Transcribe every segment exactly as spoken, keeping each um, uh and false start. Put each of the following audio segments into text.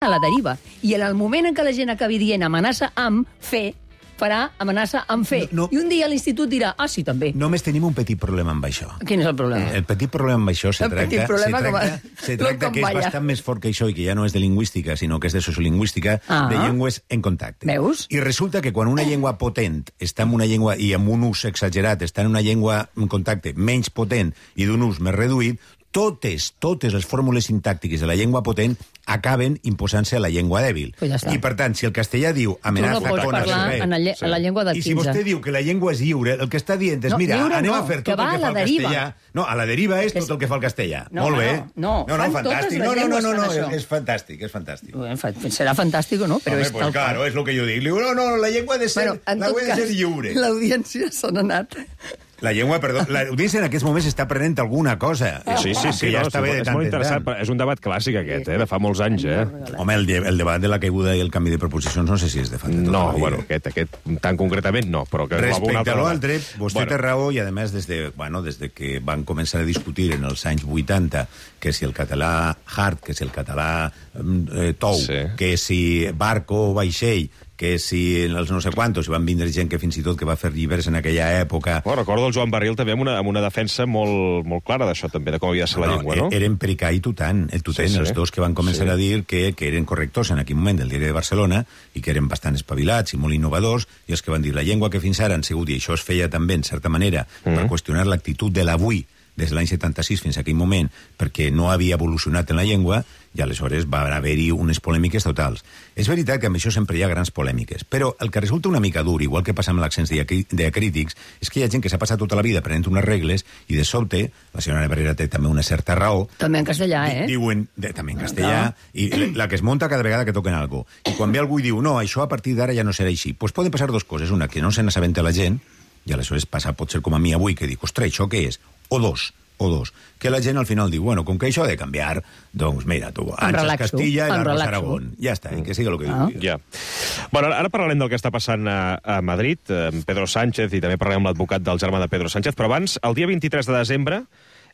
a la deriva. I en el moment en què la gent acabi dient amenaça amb fer, farà amenaça amb fer. No, no. I un dia l'institut dirà, ah, sí, també. Només tenim un petit problema amb això. Quin és el problema? El petit problema amb això se el tracta, problema se tracta, com... se tracta que és bastant més fort que això i que ja no és de lingüística, sinó que és de sociolingüística, ah. de llengües en contacte. Veus? I resulta que quan una llengua potent està en una llengua i amb un ús exagerat està en una llengua en contacte menys potent i d'un ús més reduït, totes, totes les fórmules sintàctiques de la llengua potent acaben imposant-se a la llengua dèbil. Pues ja I, per tant, si el castellà diu amenaça... Tu no pots parlar en la, lle sí. en la llengua del I quinze. si vostè diu que la llengua és lliure, el que està dient és, no, mira, anem no, a fer tot que el que fa el deriva. castellà... No, a la deriva és tot el que fa el castellà. No, Molt bé. No, no, no, no fantàstic. No, no, no, no, no, no, és fantàstic, és fantàstic. Serà fantàstic o no? Però Home, és pues tal claro, és el que jo dic. Diu, no, no, la llengua ha de ser, bueno, la llengua ha de ser lliure. L'audiència se n'ha anat... La llengua, perdó, l'audiència en aquests moments està prenent alguna cosa. Sí, sí, sí, ja no, està bé de és tant molt en interessant. tant. És un debat clàssic aquest, eh, de fa molts anys, eh? Home, el, el debat de la caiguda i el canvi de proposicions no sé si és de fa... No, bueno, aquest, aquest tan concretament no, però que... Respecte a l'altre, vostè bueno. té raó, i a més, des de, bueno, des de que van començar a discutir en els anys vuitanta que si el català hard, que si el català eh, tou, sí. que si barco o vaixell, que si els no sé quantos, van vindre gent que fins i tot que va fer llibres en aquella època... Bueno, recordo el Joan Barril també amb una, amb una defensa molt, molt clara d'això també, de com havia de ser la no, llengua, no? Eren Pericà i Tutant, el Tutent, sí, sí. els dos que van començar sí. a dir que, que eren correctors en aquell moment del diari de Barcelona i que eren bastant espavilats i molt innovadors, i els que van dir la llengua que fins ara han sigut, i això es feia també, en certa manera, mm. per qüestionar l'actitud de l'avui, des de l'any setanta-sis fins a aquell moment, perquè no havia evolucionat en la llengua, i aleshores va haver-hi unes polèmiques totals. És veritat que amb això sempre hi ha grans polèmiques, però el que resulta una mica dur, igual que passa amb l'accents diacrítics, és que hi ha gent que s'ha passat tota la vida aprenent unes regles i de sobte, la senyora Barrera té també una certa raó... També en castellà, eh? Diuen, de, també en castellà, no. i la que es monta cada vegada que toquen alguna cosa. I quan ve algú i diu, no, això a partir d'ara ja no serà així, doncs poden passar dues coses. Una, que no se n'assabenta la gent, i aleshores passa, pot ser com a mi avui, que dic, ostres, això què és? O dos, o dos, que la gent al final diu, bueno, com que això ha de canviar, doncs mira, tu, Anxes Castilla i l'Arros Aragón. Ja està, i que sigui el que ah. digui. Ja. Bueno, ara parlarem del que està passant a, a Madrid, amb Pedro Sánchez, i també parlarem amb l'advocat del germà de Pedro Sánchez, però abans, el dia vint-i-tres de desembre,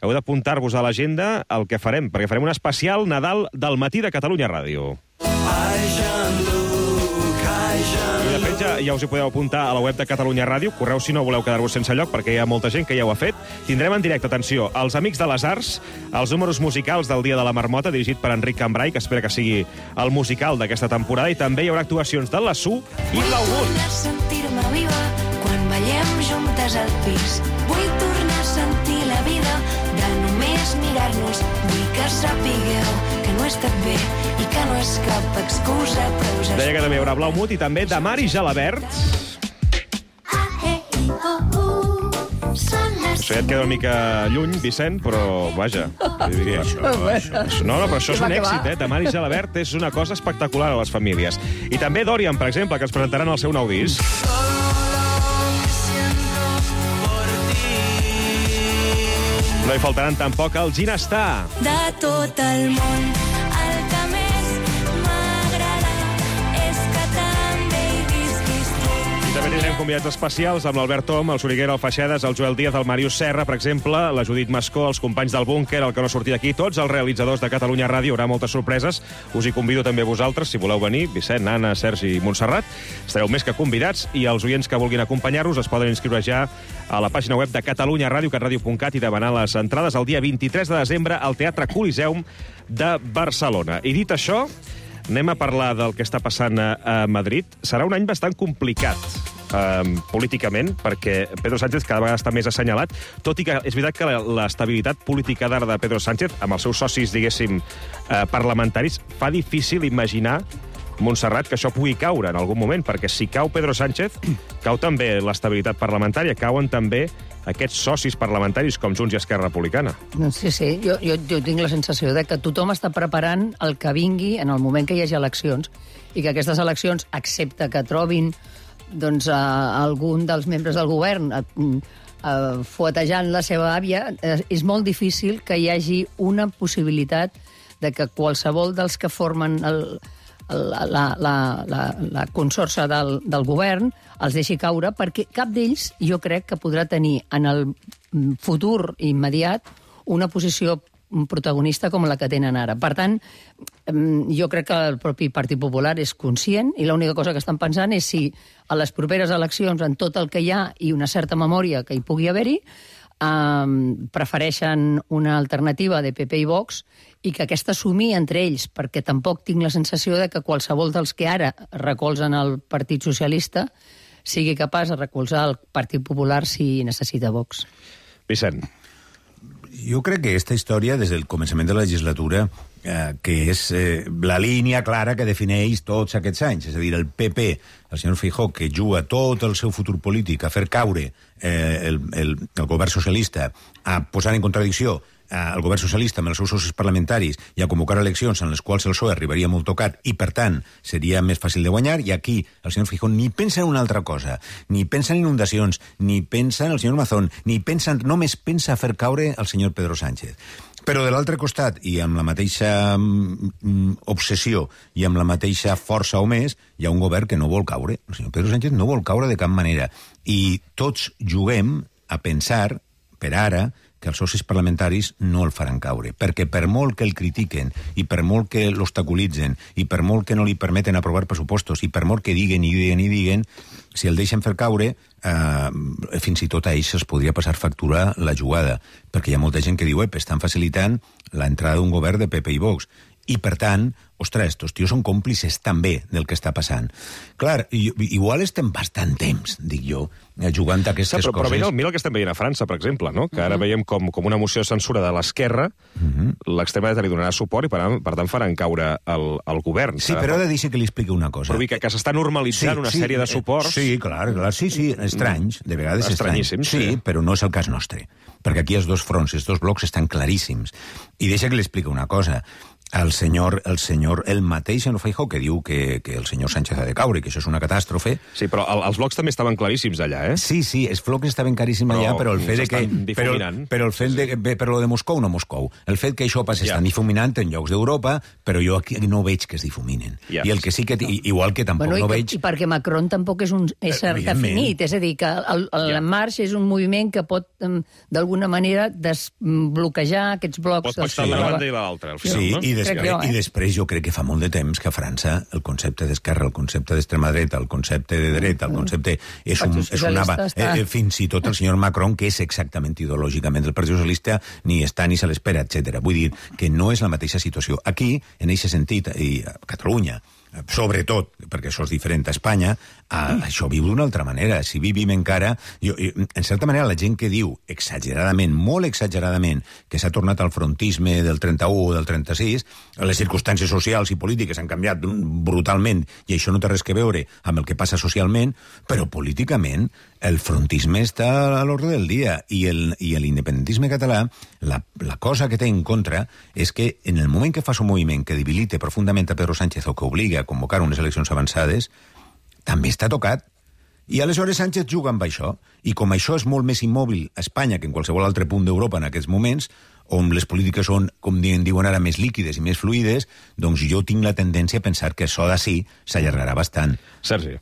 heu d'apuntar-vos a l'agenda el que farem, perquè farem un especial Nadal del matí de Catalunya Ràdio. Ai, Jean-Luc, ai, Jean-Luc. I de fet ja, ja us hi podeu apuntar a la web de Catalunya Ràdio, correu si no voleu quedar-vos sense lloc, perquè hi ha molta gent que ja ho ha fet. Tindrem en directe, atenció, els Amics de les Arts, els números musicals del Dia de la Marmota, dirigit per Enric Cambrai, que espera que sigui el musical d'aquesta temporada, i també hi haurà actuacions de la Su i Blau Bull. Vull sentir-me viva quan ballem juntes al pis. Vull tornar a sentir la vida de només mirar-nos. Vull que sapigueu que no he estat bé i que no és cap excusa, però us Deia que també hi haurà Blau Mut i també de Mar i Gelabert. Això ja et queda una mica lluny, Vicent, però vaja. Això, això, això. No, no, però això és un èxit, eh? De Mar i Gelabert és una cosa espectacular a les famílies. I també Dorian, per exemple, que ens presentaran el seu nou disc. No hi faltaran tampoc el Ginestar. De tot el món, el que més m'agrada és que també hi visquis tu. I també tindrem convidats especials amb l'Albert Tom, el Soriguera, el Feixedes, el Joel Díaz, el Màrius Serra, per exemple, la Judit Mascó, els companys del Búnquer, el que no sortia aquí, tots els realitzadors de Catalunya Ràdio. Hi haurà moltes sorpreses. Us hi convido també a vosaltres, si voleu venir, Vicent, Anna, Sergi i Montserrat. Estareu més que convidats, i els oients que vulguin acompanyar-vos es poden inscriure ja a la pàgina web de Catalunya Ràdio, catradio punt cat, i demanar les entrades el dia vint-i-tres de desembre al Teatre Coliseum de Barcelona. I dit això, anem a parlar del que està passant a, a Madrid. Serà un any bastant complicat eh, políticament, perquè Pedro Sánchez cada vegada està més assenyalat, tot i que és veritat que l'estabilitat política d'ara de Pedro Sánchez, amb els seus socis, diguéssim, eh, parlamentaris, fa difícil imaginar, Montserrat, que això pugui caure en algun moment, perquè si cau Pedro Sánchez, cau també l'estabilitat parlamentària, cauen també aquests socis parlamentaris com Junts i Esquerra Republicana. Sí, sí, jo, jo, jo tinc la sensació de que tothom està preparant el que vingui en el moment que hi hagi eleccions, i que aquestes eleccions, excepte que trobin doncs, a algun dels membres del govern a, a, fuetejant la seva àvia, és molt difícil que hi hagi una possibilitat de que qualsevol dels que formen el... La, la, la, la, la consorça del, del govern els deixi caure, perquè cap d'ells jo crec que podrà tenir en el futur immediat una posició protagonista com la que tenen ara. Per tant, jo crec que el propi Partit Popular és conscient i l'única cosa que estan pensant és si a les properes eleccions, en tot el que hi ha i una certa memòria que hi pugui haver-hi, Um, prefereixen una alternativa de P P i Vox i que aquesta assumir entre ells, perquè tampoc tinc la sensació de que qualsevol dels que ara recolzen el Partit Socialista sigui capaç de recolzar el Partit Popular si necessita Vox. Vicent. Jo crec que aquesta història, des del començament de la legislatura, eh, que és eh, la línia clara que defineix tots aquests anys, és a dir, el P P, el senyor Feijóo, que juga tot el seu futur polític a fer caure eh, el, el, el govern socialista, a posar en contradicció el govern socialista amb els seus socis parlamentaris i a convocar eleccions en les quals el P S O E arribaria molt tocat i, per tant, seria més fàcil de guanyar, i aquí el senyor Feijóo ni pensa en una altra cosa, ni pensa en inundacions, ni pensa en el senyor Mazón, ni pensa en... només pensa a fer caure el senyor Pedro Sánchez. Però de l'altre costat, i amb la mateixa mm, obsessió i amb la mateixa força o més, hi ha un govern que no vol caure. El senyor Pedro Sánchez no vol caure de cap manera. I tots juguem a pensar, per ara, que els socis parlamentaris no el faran caure, perquè per molt que el critiquen i per molt que l'obstaculitzen i per molt que no li permeten aprovar pressupostos i per molt que diguen i diguen i diguen, si el deixen fer caure, eh, fins i tot a ells es podria passar factura la jugada, perquè hi ha molta gent que diu, ep, estan facilitant l'entrada d'un govern de P P i Vox. I, per tant, ostres, estos tios són còmplices també del que està passant. Clar, igual estem bastant temps, dic jo, jugant a aquestes sí, però, coses. Però mira, mira el que estem veient a França, per exemple, no? Que ara uh -huh. veiem com, com una moció de censura de l'esquerra, uh -huh. l'extrema dreta li donarà suport i, per, per tant, faran caure el, el govern. Sí, però he de dir que li expliqui una cosa. Però que, que s'està normalitzant sí, una sí, sèrie de suports... Sí, clar, clar, sí, sí, estranys, de vegades estranys. Sí, sí, però no és el cas nostre, perquè aquí els dos fronts, els dos blocs estan claríssims. I deixa que li expliqui una cosa. El senyor, el senyor, el mateix senyor Feijóo, que diu que, que el senyor Sánchez ha de caure, que això és una catàstrofe... Sí, però el, els blocs també estaven claríssims allà, eh? Sí, sí, els blocs estaven claríssims allà, però, però el fet de que... Però, però el fet sí, sí. de... Però de Moscou no Moscou. El fet que això pas ja. estan difuminant en llocs d'Europa, però jo aquí no veig que es difuminen. Ja. I el que sí que... Igual que tampoc bueno, no que, veig... I perquè Macron tampoc és un ésser definit, és a dir, que el, el ja. Marx és un moviment que pot, d'alguna manera, desbloquejar aquests blocs... Pot passar la banda i l'altra, al final, sí, no? i després, jo, eh? i després jo crec que fa molt de temps que a França el concepte d'esquerra, el concepte d'extrema dreta, el concepte de dreta, el concepte... És un, és una, eh, fins i tot el senyor Macron, que és exactament ideològicament el Partit Socialista, ni està ni se l'espera, etcètera. Vull dir que no és la mateixa situació. Aquí, en aquest sentit, i a Catalunya, sobretot, perquè això és diferent a Espanya, a, això viu d'una altra manera. Si vivim encara... Jo, en certa manera, la gent que diu exageradament, molt exageradament, que s'ha tornat al frontisme del trenta-u o del trenta-sis, les circumstàncies socials i polítiques han canviat brutalment, i això no té res que veure amb el que passa socialment, però políticament el frontisme està a l'ordre del dia, i el, i l'independentisme català, la, la cosa que té en contra és que en el moment que fas un moviment que debilite profundament a Pedro Sánchez o que obliga a convocar unes eleccions avançades, també està tocat. I aleshores Sánchez juga amb això, i com això és molt més immòbil a Espanya que en qualsevol altre punt d'Europa en aquests moments, on les polítiques són, com diuen ara, més líquides i més fluides, doncs jo tinc la tendència a pensar que això d'ací s'allargarà bastant. Sergi.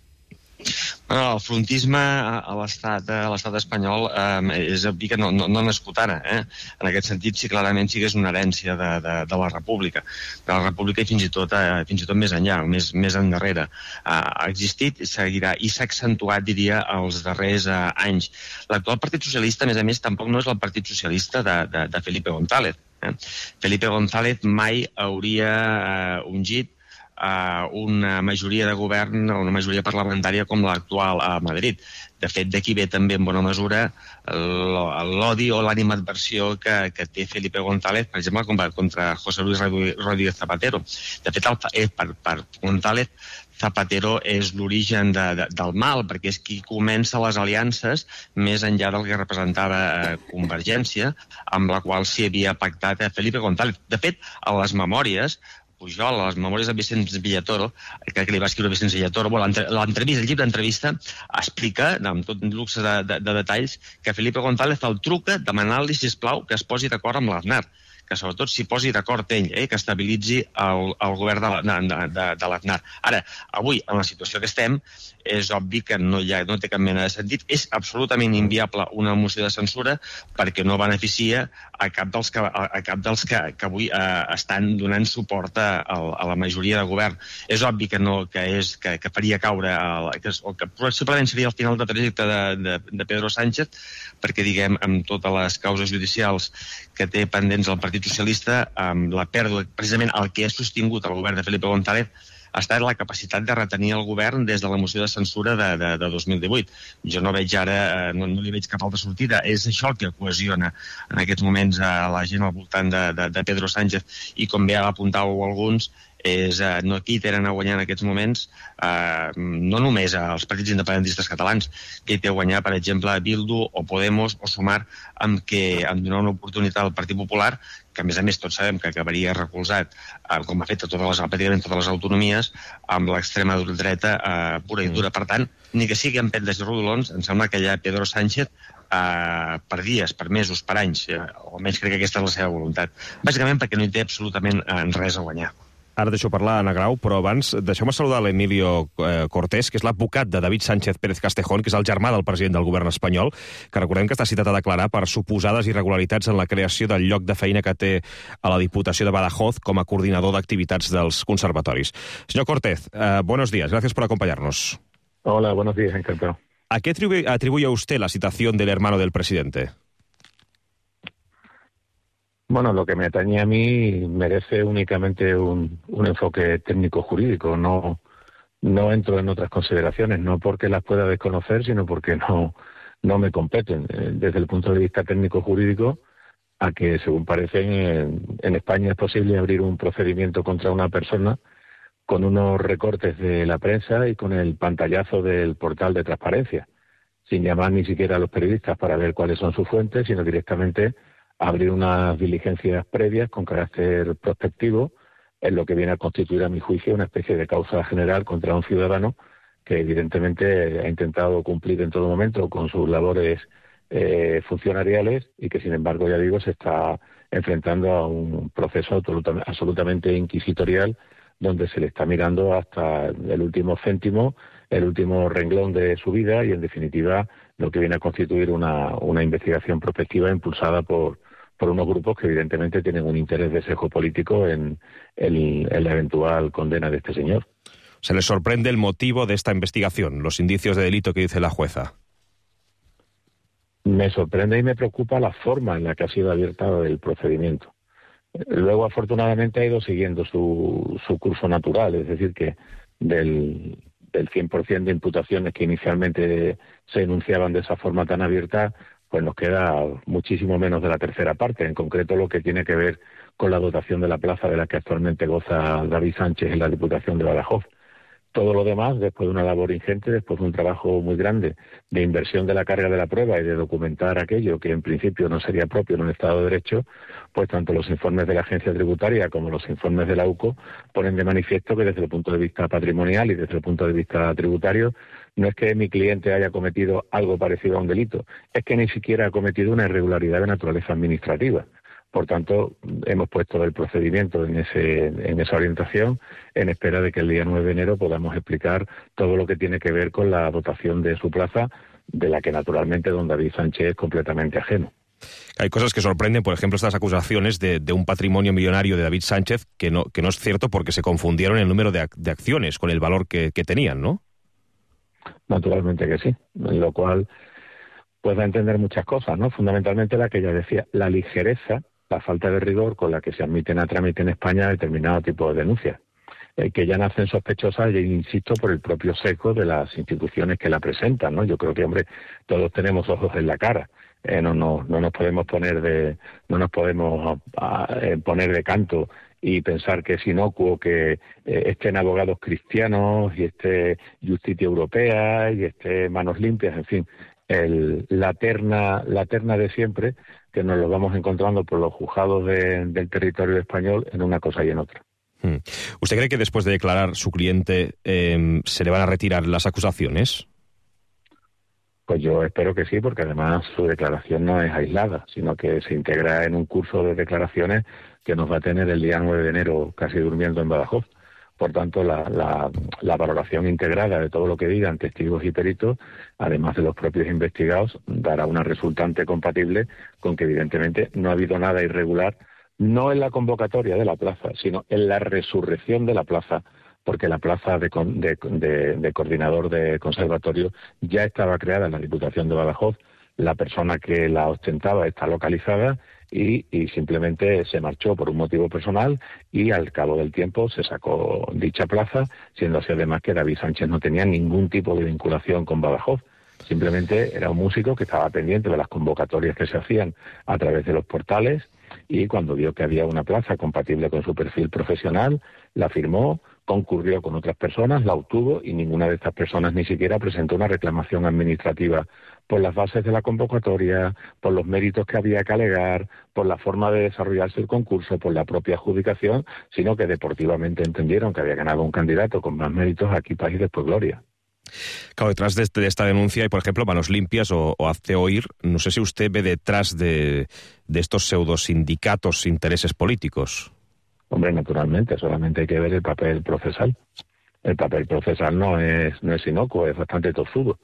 Bueno, el frontisme a l'estat a l'estat espanyol eh, és obvi que no, no, no ha nascut ara. Eh? En aquest sentit, sí, clarament sí que és una herència de, de, de la República. De la República i fins i tot, eh, fins i tot més enllà, més, més endarrere. Eh, ha existit, seguirà, i s'ha accentuat, diria, els darrers eh, anys. L'actual Partit Socialista, a més a més, tampoc no és el Partit Socialista de, de, de Felipe González. Eh? Felipe González mai hauria eh, ungit Uh, una majoria de govern, una majoria parlamentària com l'actual a Madrid. De fet, d'aquí ve també en bona mesura l'odi o l'animadversió que, que té Felipe González, per exemple, contra José Luis Rodríguez Zapatero. De fet, el, per, per González, Zapatero és l'origen de, de, del mal, perquè és qui comença les aliances més enllà del que representava eh, Convergència, amb la qual s'hi havia pactat eh, Felipe González. De fet, a les memòries, Pujol, a les memòries de Vicenç Villatoro, que, que li va escriure Vicenç Villatoro, bueno, l'entrevista, el llibre d'entrevista explica, amb tot luxe de, de, de detalls, que Felipe González el truca demanant-li, sisplau, que es posi d'acord amb l'Aznar, que que sobretot s'hi posi d'acord ell, eh, que estabilitzi el, el govern de, de, de, de l'Aznar. Ara, avui, en la situació que estem, és obvi que no, hi ha, no té cap mena de sentit. És absolutament inviable una moció de censura perquè no beneficia a cap dels que, a, a cap dels que, que avui eh, estan donant suport a, a la majoria de govern. És obvi que no, que, és, que, que faria caure, el, que, o que possiblement seria el final de trajecte de, de, de Pedro Sánchez, perquè, diguem, amb totes les causes judicials que té pendents el Partit Socialista, amb la pèrdua, precisament el que ha sostingut el govern de Felipe González, ha estat la capacitat de retenir el govern des de la moció de censura de, de, de dos mil divuit. Jo no veig ara, no, no li veig cap altra sortida. És això el que cohesiona en aquests moments a la gent al voltant de, de, de Pedro Sánchez, i com bé apuntàveu alguns, és, eh, no, qui tenen a guanyar en aquests moments, eh, no només els partits independentistes catalans, que hi té a guanyar, per exemple, Bildu o Podemos o Sumar, amb què amb donar una oportunitat al Partit Popular, que a més a més tots sabem que acabaria recolzat, eh, com ha fet a totes les, pràcticament totes les autonomies, amb l'extrema dreta eh, pura i dura. Per tant, ni que sigui amb pendes i rodolons, em sembla que ja Pedro Sánchez, eh, per dies, per mesos, per anys, eh, o almenys crec que aquesta és la seva voluntat. Bàsicament perquè no hi té absolutament eh, res a guanyar. Ara deixo parlar Anna Grau, però abans deixeu-me saludar l'Emilio eh, Cortés, que és l'advocat de David Sánchez Pérez Castejón, que és el germà del president del govern espanyol, que recordem que està citat a declarar per suposades irregularitats en la creació del lloc de feina que té a la Diputació de Badajoz com a coordinador d'activitats dels conservatoris. Señor Cortés, eh, buenos días, gracias por acompañarnos. Hola, buenos días, encantado. ¿A qué atribuye, atribuye usted la citación del hermano del presidente? Bueno, lo que me atañe a mí merece únicamente un, un enfoque técnico-jurídico. No, no entro en otras consideraciones, no porque las pueda desconocer, sino porque no, no me competen. Desde el punto de vista técnico-jurídico, a que, según parece, en, en España es posible abrir un procedimiento contra una persona con unos recortes de la prensa y con el pantallazo del portal de transparencia, sin llamar ni siquiera a los periodistas para ver cuáles son sus fuentes, sino directamente abrir unas diligencias previas con carácter prospectivo en lo que viene a constituir, a mi juicio, una especie de causa general contra un ciudadano que evidentemente ha intentado cumplir en todo momento con sus labores eh, funcionariales y que, sin embargo, ya digo, se está enfrentando a un proceso absolutamente inquisitorial donde se le está mirando hasta el último céntimo, el último renglón de su vida y, en definitiva, lo que viene a constituir una, una investigación prospectiva impulsada por, por unos grupos que evidentemente tienen un interés de sesgo político en, el, en la eventual condena de este señor. ¿Se les sorprende el motivo de esta investigación, los indicios de delito que dice la jueza? Me sorprende y me preocupa la forma en la que ha sido abierta el procedimiento. Luego, afortunadamente, ha ido siguiendo su, su curso natural, es decir, que del... del cien por ciento de imputaciones que inicialmente se enunciaban de esa forma tan abierta, pues nos queda muchísimo menos de la tercera parte, en concreto lo que tiene que ver con la dotación de la plaza de la que actualmente goza David Sánchez en la Diputación de Badajoz. Todo lo demás, después de una labor ingente, después de un trabajo muy grande de inversión de la carga de la prueba y de documentar aquello que en principio no sería propio en un Estado de Derecho, pues tanto los informes de la Agencia Tributaria como los informes de la U C O ponen de manifiesto que desde el punto de vista patrimonial y desde el punto de vista tributario no es que mi cliente haya cometido algo parecido a un delito, es que ni siquiera ha cometido una irregularidad de naturaleza administrativa. Por tanto, hemos puesto el procedimiento en, ese, en esa orientación en espera de que el día nueve de enero podamos explicar todo lo que tiene que ver con la dotación de su plaza, de la que naturalmente don David Sánchez es completamente ajeno. Hay cosas que sorprenden, por ejemplo, estas acusaciones de, de un patrimonio millonario de David Sánchez, que no, que no es cierto porque se confundieron el número de, ac de acciones con el valor que, que tenían, ¿no? Naturalmente que sí, lo cual pues da a entender muchas cosas, ¿no? Fundamentalmente la que ya decía, la ligereza, la falta de rigor con la que se admiten a trámite en España determinado tipo de denuncias, eh, que ya nacen sospechosas, y insisto, por el propio sesgo de las instituciones que la presentan, ¿no? Yo creo que, hombre, todos tenemos ojos en la cara, eh, no, no, no nos podemos poner de, no nos podemos a, a, eh, poner de canto y pensar que es inocuo que eh, estén abogados cristianos y esté Justicia Europea y esté Manos Limpias, en fin, el, la terna, la terna de siempre, que nos lo vamos encontrando por los juzgados de, del territorio español en una cosa y en otra. Hmm. ¿Usted cree que después de declarar su cliente eh, se le van a retirar las acusaciones? Pues yo espero que sí, porque además su declaración no es aislada, sino que se integra en un curso de declaraciones que nos va a tener el día nueve de enero casi durmiendo en Badajoz. Por tanto, la, la, la valoración integrada de todo lo que digan testigos y peritos, además de los propios investigados, dará una resultante compatible con que evidentemente no ha habido nada irregular, no en la convocatoria de la plaza, sino en la resurrección de la plaza, porque la plaza de, de, de, de coordinador de conservatorio ya estaba creada en la Diputación de Badajoz, la persona que la ostentaba está localizada y, y simplemente se marchó por un motivo personal y al cabo del tiempo se sacó dicha plaza, siendo así además que David Sánchez no tenía ningún tipo de vinculación con Badajoz. Simplemente era un músico que estaba pendiente de las convocatorias que se hacían a través de los portales y cuando vio que había una plaza compatible con su perfil profesional, la firmó, concurrió con otras personas, la obtuvo y ninguna de estas personas ni siquiera presentó una reclamación administrativa por las bases de la convocatoria, por los méritos que había que alegar, por la forma de desarrollarse el concurso, por la propia adjudicación, sino que deportivamente entendieron que había ganado un candidato con más méritos aquí país después gloria. Claro, detrás de, este, de esta denuncia hay, por ejemplo, Manos Limpias o, o Hazte Oír. No sé si usted ve detrás de, de estos pseudosindicatos intereses políticos. Hombre, naturalmente, solamente hay que ver el papel procesal. El papel procesal no es, no es inocuo, es bastante tozudo.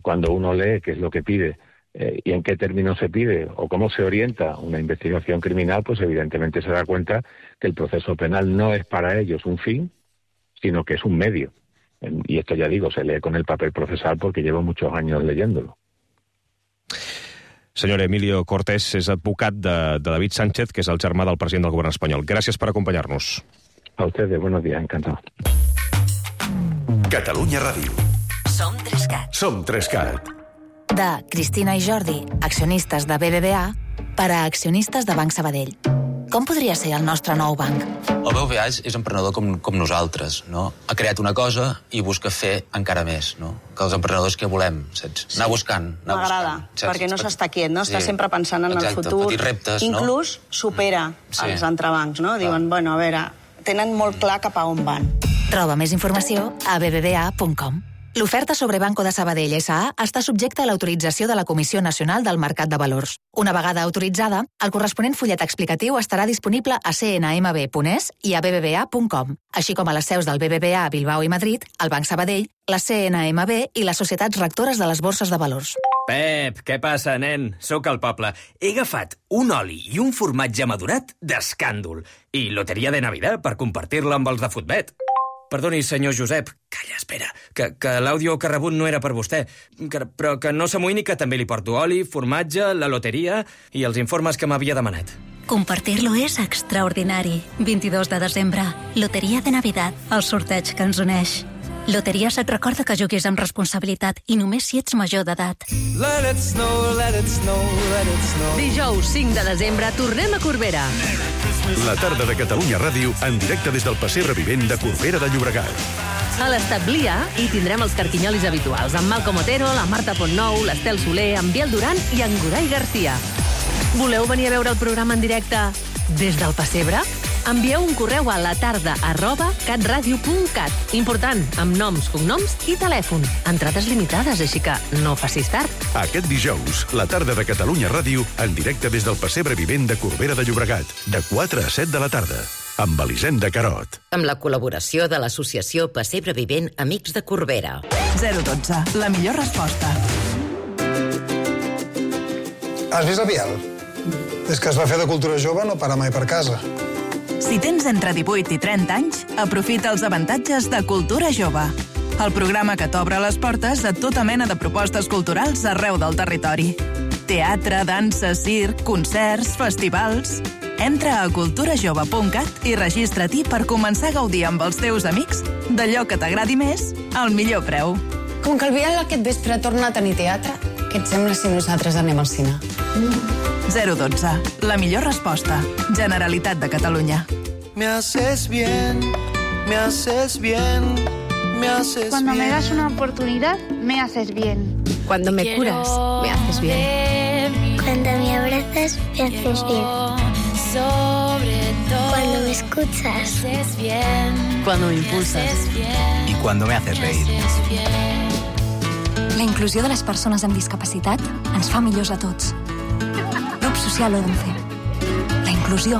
Cuando uno lee qué es lo que pide eh, y en qué términos se pide o cómo se orienta una investigación criminal, pues evidentemente se da cuenta que el proceso penal no es para ellos un fin, sino que es un medio. Y esto, ya digo, se lee con el papel procesal porque llevo muchos años leyéndolo. Senyor Emilio Cortés és advocat de, de David Sánchez, que és el germà del president del govern espanyol. Gràcies per acompanyar-nos. A ustedes, buenos días, encantado. Catalunya Ràdio. Som Trescat. Som Trescat. De Cristina i Jordi, accionistes de B B V A, per a accionistes de Banc Sabadell. Com podria ser el nostre nou banc? El B B V A és, és emprenedor com, com nosaltres, no? Ha creat una cosa i busca fer encara més, no? Que els emprenedors que volem, saps? Anar buscant, anar M'agrada, buscant. perquè no s'està quiet, no? Està Sí. sempre pensant en Exacte, el futur. petits reptes, no? Inclús supera Sí. els entrebancs, no? Diuen, bueno, a veure, tenen molt clar cap a on van. Troba més informació a b b v a punt com. L'oferta sobre Banco de Sabadell S A està subjecta a l'autorització de la Comissió Nacional del Mercat de Valors. Una vegada autoritzada, el corresponent fullet explicatiu estarà disponible a c n m b punt e s i a b b v a punt com, així com a les seus del B B V A a Bilbao i Madrid, el Banc Sabadell, la C N M B i les societats rectores de les borses de valors. Pep, què passa, nen? Sóc al poble. He agafat un oli i un formatge madurat d'escàndol i loteria de Navidad per compartir-la amb els de Futbet. Perdoni, senyor Josep. Calla, espera, que, que l'àudio que ha rebut no era per vostè. Que, però que no s'amoïni que també li porto oli, formatge, la loteria i els informes que m'havia demanat. Compartir-lo és extraordinari. vint-i-dos de desembre, Loteria de Navidad, el sorteig que ens uneix. Loteries et recorda que juguis amb responsabilitat i només si ets major d'edat. Let it snow, let it snow, let it snow. Dijous cinc de desembre tornem a Corbera. La tarda de Catalunya Ràdio en directe des del Passeig Revivent de Corbera de Llobregat. A l'Establia hi tindrem els carquinyolis habituals, amb Malcom Otero, la Marta Pontnou, l'Estel Soler, en Biel Duran i en Goray García. Voleu venir a veure el programa en directe des del Passebre? Envieu un correu a la tarda arroba catradio punt cat. Important, amb noms, cognoms i telèfon. Entrades limitades, així que no facis tard. Aquest dijous, la tarda de Catalunya Ràdio en directe des del Passeig Revivent de Corbera de Llobregat, de quatre a set de la tarda, amb Elisenda Carot. Amb la col·laboració de l'associació Passebre Vivent Amics de Corbera. zero dotze, la millor resposta. Has vist el Biel? Des que es va fer de cultura jove no para mai per casa. Si tens entre divuit i trenta anys, aprofita els avantatges de Cultura Jove. El programa que t'obre les portes a tota mena de propostes culturals arreu del territori. Teatre, dansa, circ, concerts, festivals... Entra a cultura jove punt cat i registra-t'hi per començar a gaudir amb els teus amics d'allò que t'agradi més al millor preu. Com que el Biel aquest vespre torna a tenir teatre, què et sembla si nosaltres anem al cine? zero dotze, la millor resposta. Generalitat de Catalunya. Me haces bien, me haces bien, me haces Cuando bien. me das una oportunidad, me haces bien. Cuando me curas, me haces bien. Cuando me abrazas, me haces bien. Cuando me escuchas, me haces bien. Cuando me impulsas. Y cuando me haces reír. La inclusió de les persones amb discapacitat ens fa millors a tots. Grup Social Odense. La inclusió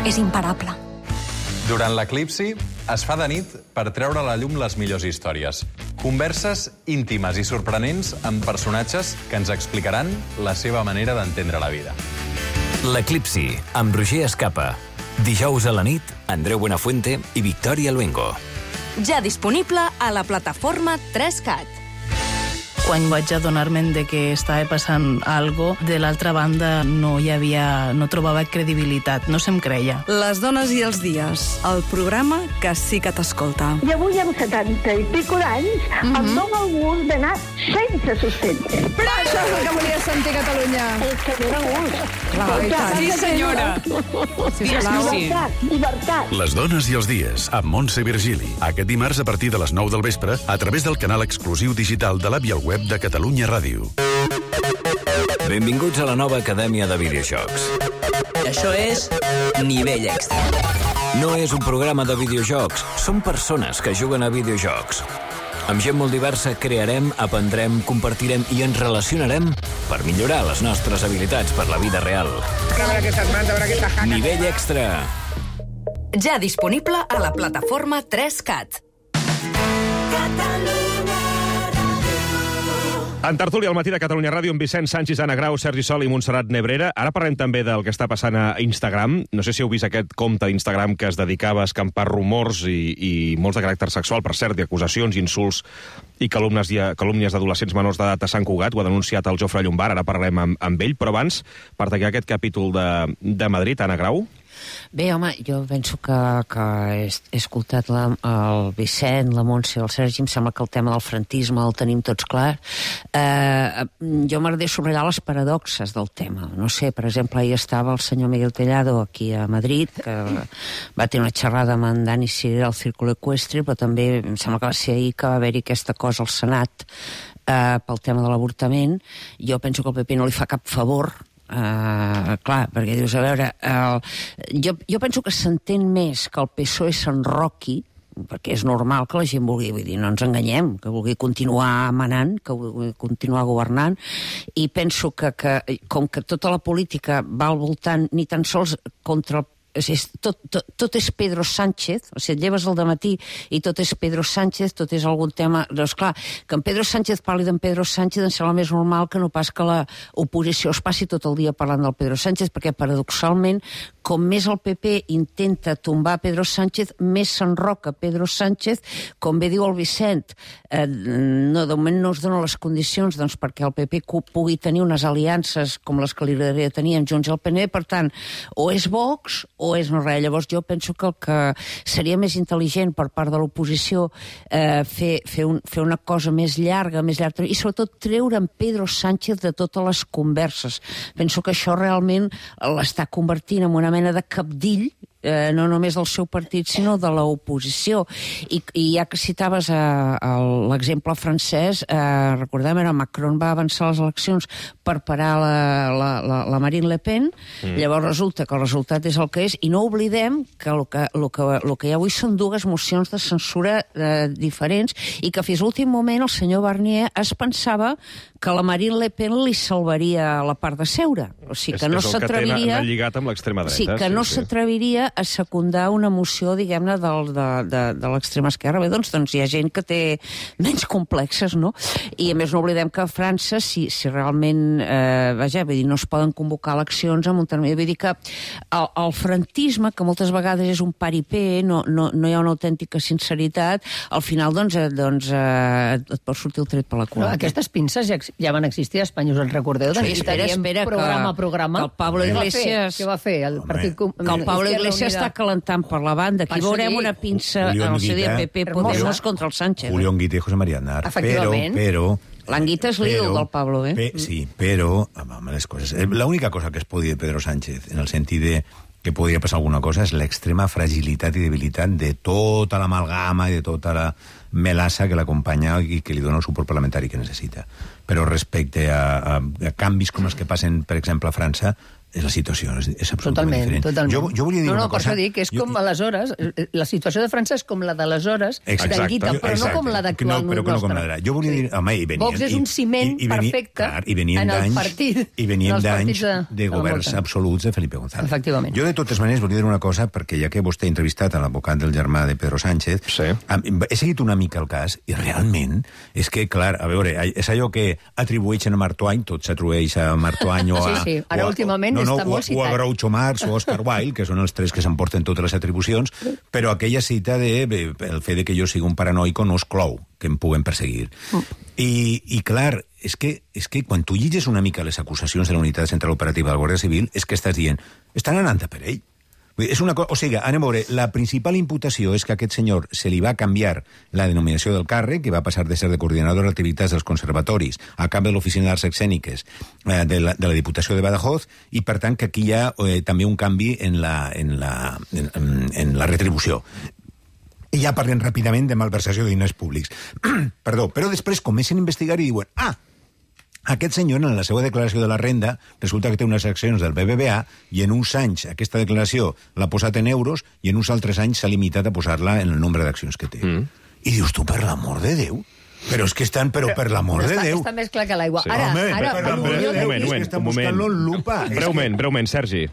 és imparable. Durant l'eclipsi es fa de nit per treure a la llum les millors històries. Converses íntimes i sorprenents amb personatges que ens explicaran la seva manera d'entendre la vida. L'eclipsi, amb Roger Escapa. Dijous a la nit, Andreu Buenafuente i Victòria Luengo. Ja disponible a la plataforma tres cat. Quan vaig adonar-me de que estava passant algo, de l'altra banda no hi havia, no trobava credibilitat, no se'm creia. Les dones i els dies, el programa que sí que t'escolta. I avui amb setanta i pico d'anys mm -hmm. em dóna el gust d'anar sense sostendre. Però això és el que volia sentir Catalunya. És que dóna gust. Clar, sí, senyora. Sisplau. Llibertat, llibertat. Les dones i els dies, amb Montse Virgili. Aquest dimarts a partir de les nou del vespre, a través del canal exclusiu digital de l'app i el web de Catalunya Ràdio. Benvinguts a la nova Acadèmia de Videojocs. Això és Nivell Extra. No és un programa de videojocs, són persones que juguen a videojocs. Amb gent molt diversa crearem, aprendrem, compartirem i ens relacionarem per millorar les nostres habilitats per la vida real. Nivell Extra. Ja disponible a la plataforma tres cat. En tertúlia al matí de Catalunya Ràdio amb Vicent Sánchez, Anna Grau, Sergi Sol i Montserrat Nebrera. Ara parlem també del que està passant a Instagram. No sé si heu vist aquest compte d'Instagram que es dedicava a escampar rumors i, i molts de caràcter sexual, per cert, d'acusacions, insults i calúmnies, calúmnies d'adolescents menors d'edat a Sant Cugat. Ho ha denunciat el Jofre Llombart, ara parlem amb, amb ell. Però abans, per tancar aquest capítol de, de Madrid, Anna Grau. Bé, home, jo penso que, que he, he escoltat la, el Vicent, la Montse i el Sergi, em sembla que el tema del franquisme el tenim tots clar. Eh, jo m'agradaria subratllar les paradoxes del tema. No sé, per exemple, ahir estava el senyor Miguel Tellado aquí a Madrid, que va tenir una xerrada amb en Dani Sirera al Círculo Ecuestre, però també em sembla que va ser ahir que va haver-hi aquesta cosa al Senat eh, pel tema de l'avortament. Jo penso que el P P no li fa cap favor. Uh, clar, perquè dius, a veure uh, jo, jo penso que s'entén més que el P S O E s'enroqui, perquè és normal que la gent vulgui, vull dir, no ens enganyem, que vulgui continuar manant, que vulgui continuar governant, i penso que, que com que tota la política va al voltant ni tan sols contra el És, tot, tot, tot és Pedro Sánchez, o sigui, et lleves al dematí i tot és Pedro Sánchez, tot és algun tema... Doncs clar, que en Pedro Sánchez parli d'en Pedro Sánchez em sembla més normal que no pas que l'oposició es passi tot el dia parlant del Pedro Sánchez, perquè paradoxalment, com més el P P intenta tombar Pedro Sánchez, més s'enroca Pedro Sánchez, com bé diu el Vicent, eh, no, de moment no es donen les condicions doncs, perquè el P P pugui tenir unes aliances com les que li agradaria tenir amb Junts i el P N, per tant, o és Vox o és no res. Llavors jo penso que el que seria més intel·ligent per part de l'oposició eh, fer, fer, un, fer una cosa més llarga, més llarga, i sobretot treure en Pedro Sánchez de totes les converses. Penso que això realment l'està convertint en una mena de cabdill, eh, no només del seu partit, sinó de l'oposició. I, i ja que citaves eh, l'exemple francès, eh, recordem, era Macron va avançar les eleccions per parar la, la, la, la Marine Le Pen, mm. llavors resulta que el resultat és el que és, i no oblidem que el que, el que, el que hi ha avui són dues mocions de censura eh, diferents, i que fins l'últim moment el senyor Barnier es pensava que la Marine Le Pen li salvaria la part de seure. O sigui, que no s'atreviria... És el que lligat amb l'extrema dreta. Sí, que no sí, s'atreviria a secundar una moció, diguem-ne, de, de, de, de l'extrema esquerra. Bé, doncs, doncs hi ha gent que té menys complexes, no? I a més no oblidem que a França, si, si realment, eh, vaja, vull dir, no es poden convocar eleccions amb un termini. Vull dir que el, el franquisme, que moltes vegades és un paripé, no, no, no hi ha una autèntica sinceritat, al final, doncs, eh, doncs eh, et pot sortir el tret per la cul. Però aquestes pinces ja, ja van existir a Espanya, us en recordeu? Sí, espera, espera, programa a programa. Que el Pablo Iglesias... Què va fer? El Partit Com... Que el Pablo Iglesias està calentant per la banda. Aquí veurem una pinça en el C D P P Podemos contra el Sánchez. Julio Anguita i José María Aznar. Efectivament. Però... L'Anguita és l'ídol del Pablo, eh? Pe, sí, però... Home, les coses... L'única cosa que es podia de Pedro Sánchez, en el sentit de que podria passar alguna cosa, és l'extrema fragilitat i debilitat de tota l'amalgama i de tota la melassa que l'acompanya i que li dona el suport parlamentari que necessita. Però respecte a, a, a canvis com els que passen, per exemple, a França, la situació és, és absolutament totalment, diferent. Totalment. Jo, jo volia dir no, no, una cosa... No, per això dic que és jo... com aleshores, la situació de França és com la d'aleshores, d'Anguita, però exacte. no com la d'actual no, però nostra. No com la d'ara. Jo volia dir... Home, i venien, Vox és un ciment i, i, i venia, perfecte clar, i en el partit. I venien d'anys de, de governs absoluts de Felipe González. Efectivament. Jo, de totes maneres, volia dir una cosa, perquè ja que vostè ha entrevistat a l'advocat del germà de Pedro Sánchez, sí. he seguit una mica el cas, i realment és que, clar, a veure, és allò que atribueixen a Mark Twain, tot s'atribueix a Mark Twain o a... Sí, sí, ara o a, últimament no, no, està molt citat. O a Groucho Marx o Oscar Wilde, que són els tres que s'emporten totes les atribucions, però aquella cita de el fet de que jo sigui un paranoico no exclou que em puguen perseguir. Mm. I, I, clar, és que, és que quan tu lliges una mica les acusacions de la Unitat Central Operativa de la Guàrdia Civil, és que estàs dient, estan anant a per ell. És una cosa, o sigui, anem a veure, la principal imputació és que a aquest senyor se li va canviar la denominació del càrrec, que va passar de ser de coordinador d'activitats dels conservatoris a cap de l'Oficina d'Arts Escèniques eh, de, la, de la Diputació de Badajoz, i per tant que aquí hi ha eh, també un canvi en la, en la, en, en la retribució. I ja parlen ràpidament de malversació de diners públics. Perdó, però després comencen a investigar i diuen, ah, aquest senyor, en la seva declaració de la renda, resulta que té unes accions del B B V A i en uns anys aquesta declaració l'ha posat en euros i en uns altres anys s'ha limitat a posar-la en el nombre d'accions que té. Mm. I dius tu, per l'amor de Déu, però és que estan, però per l'amor de Déu. Està més clar que l'aigua. Sí. Ara, Home, ara, per l'amor de Déu, moment, és moment, que estan un moment. buscant-lo en lupa. Breument, breument, Sergi.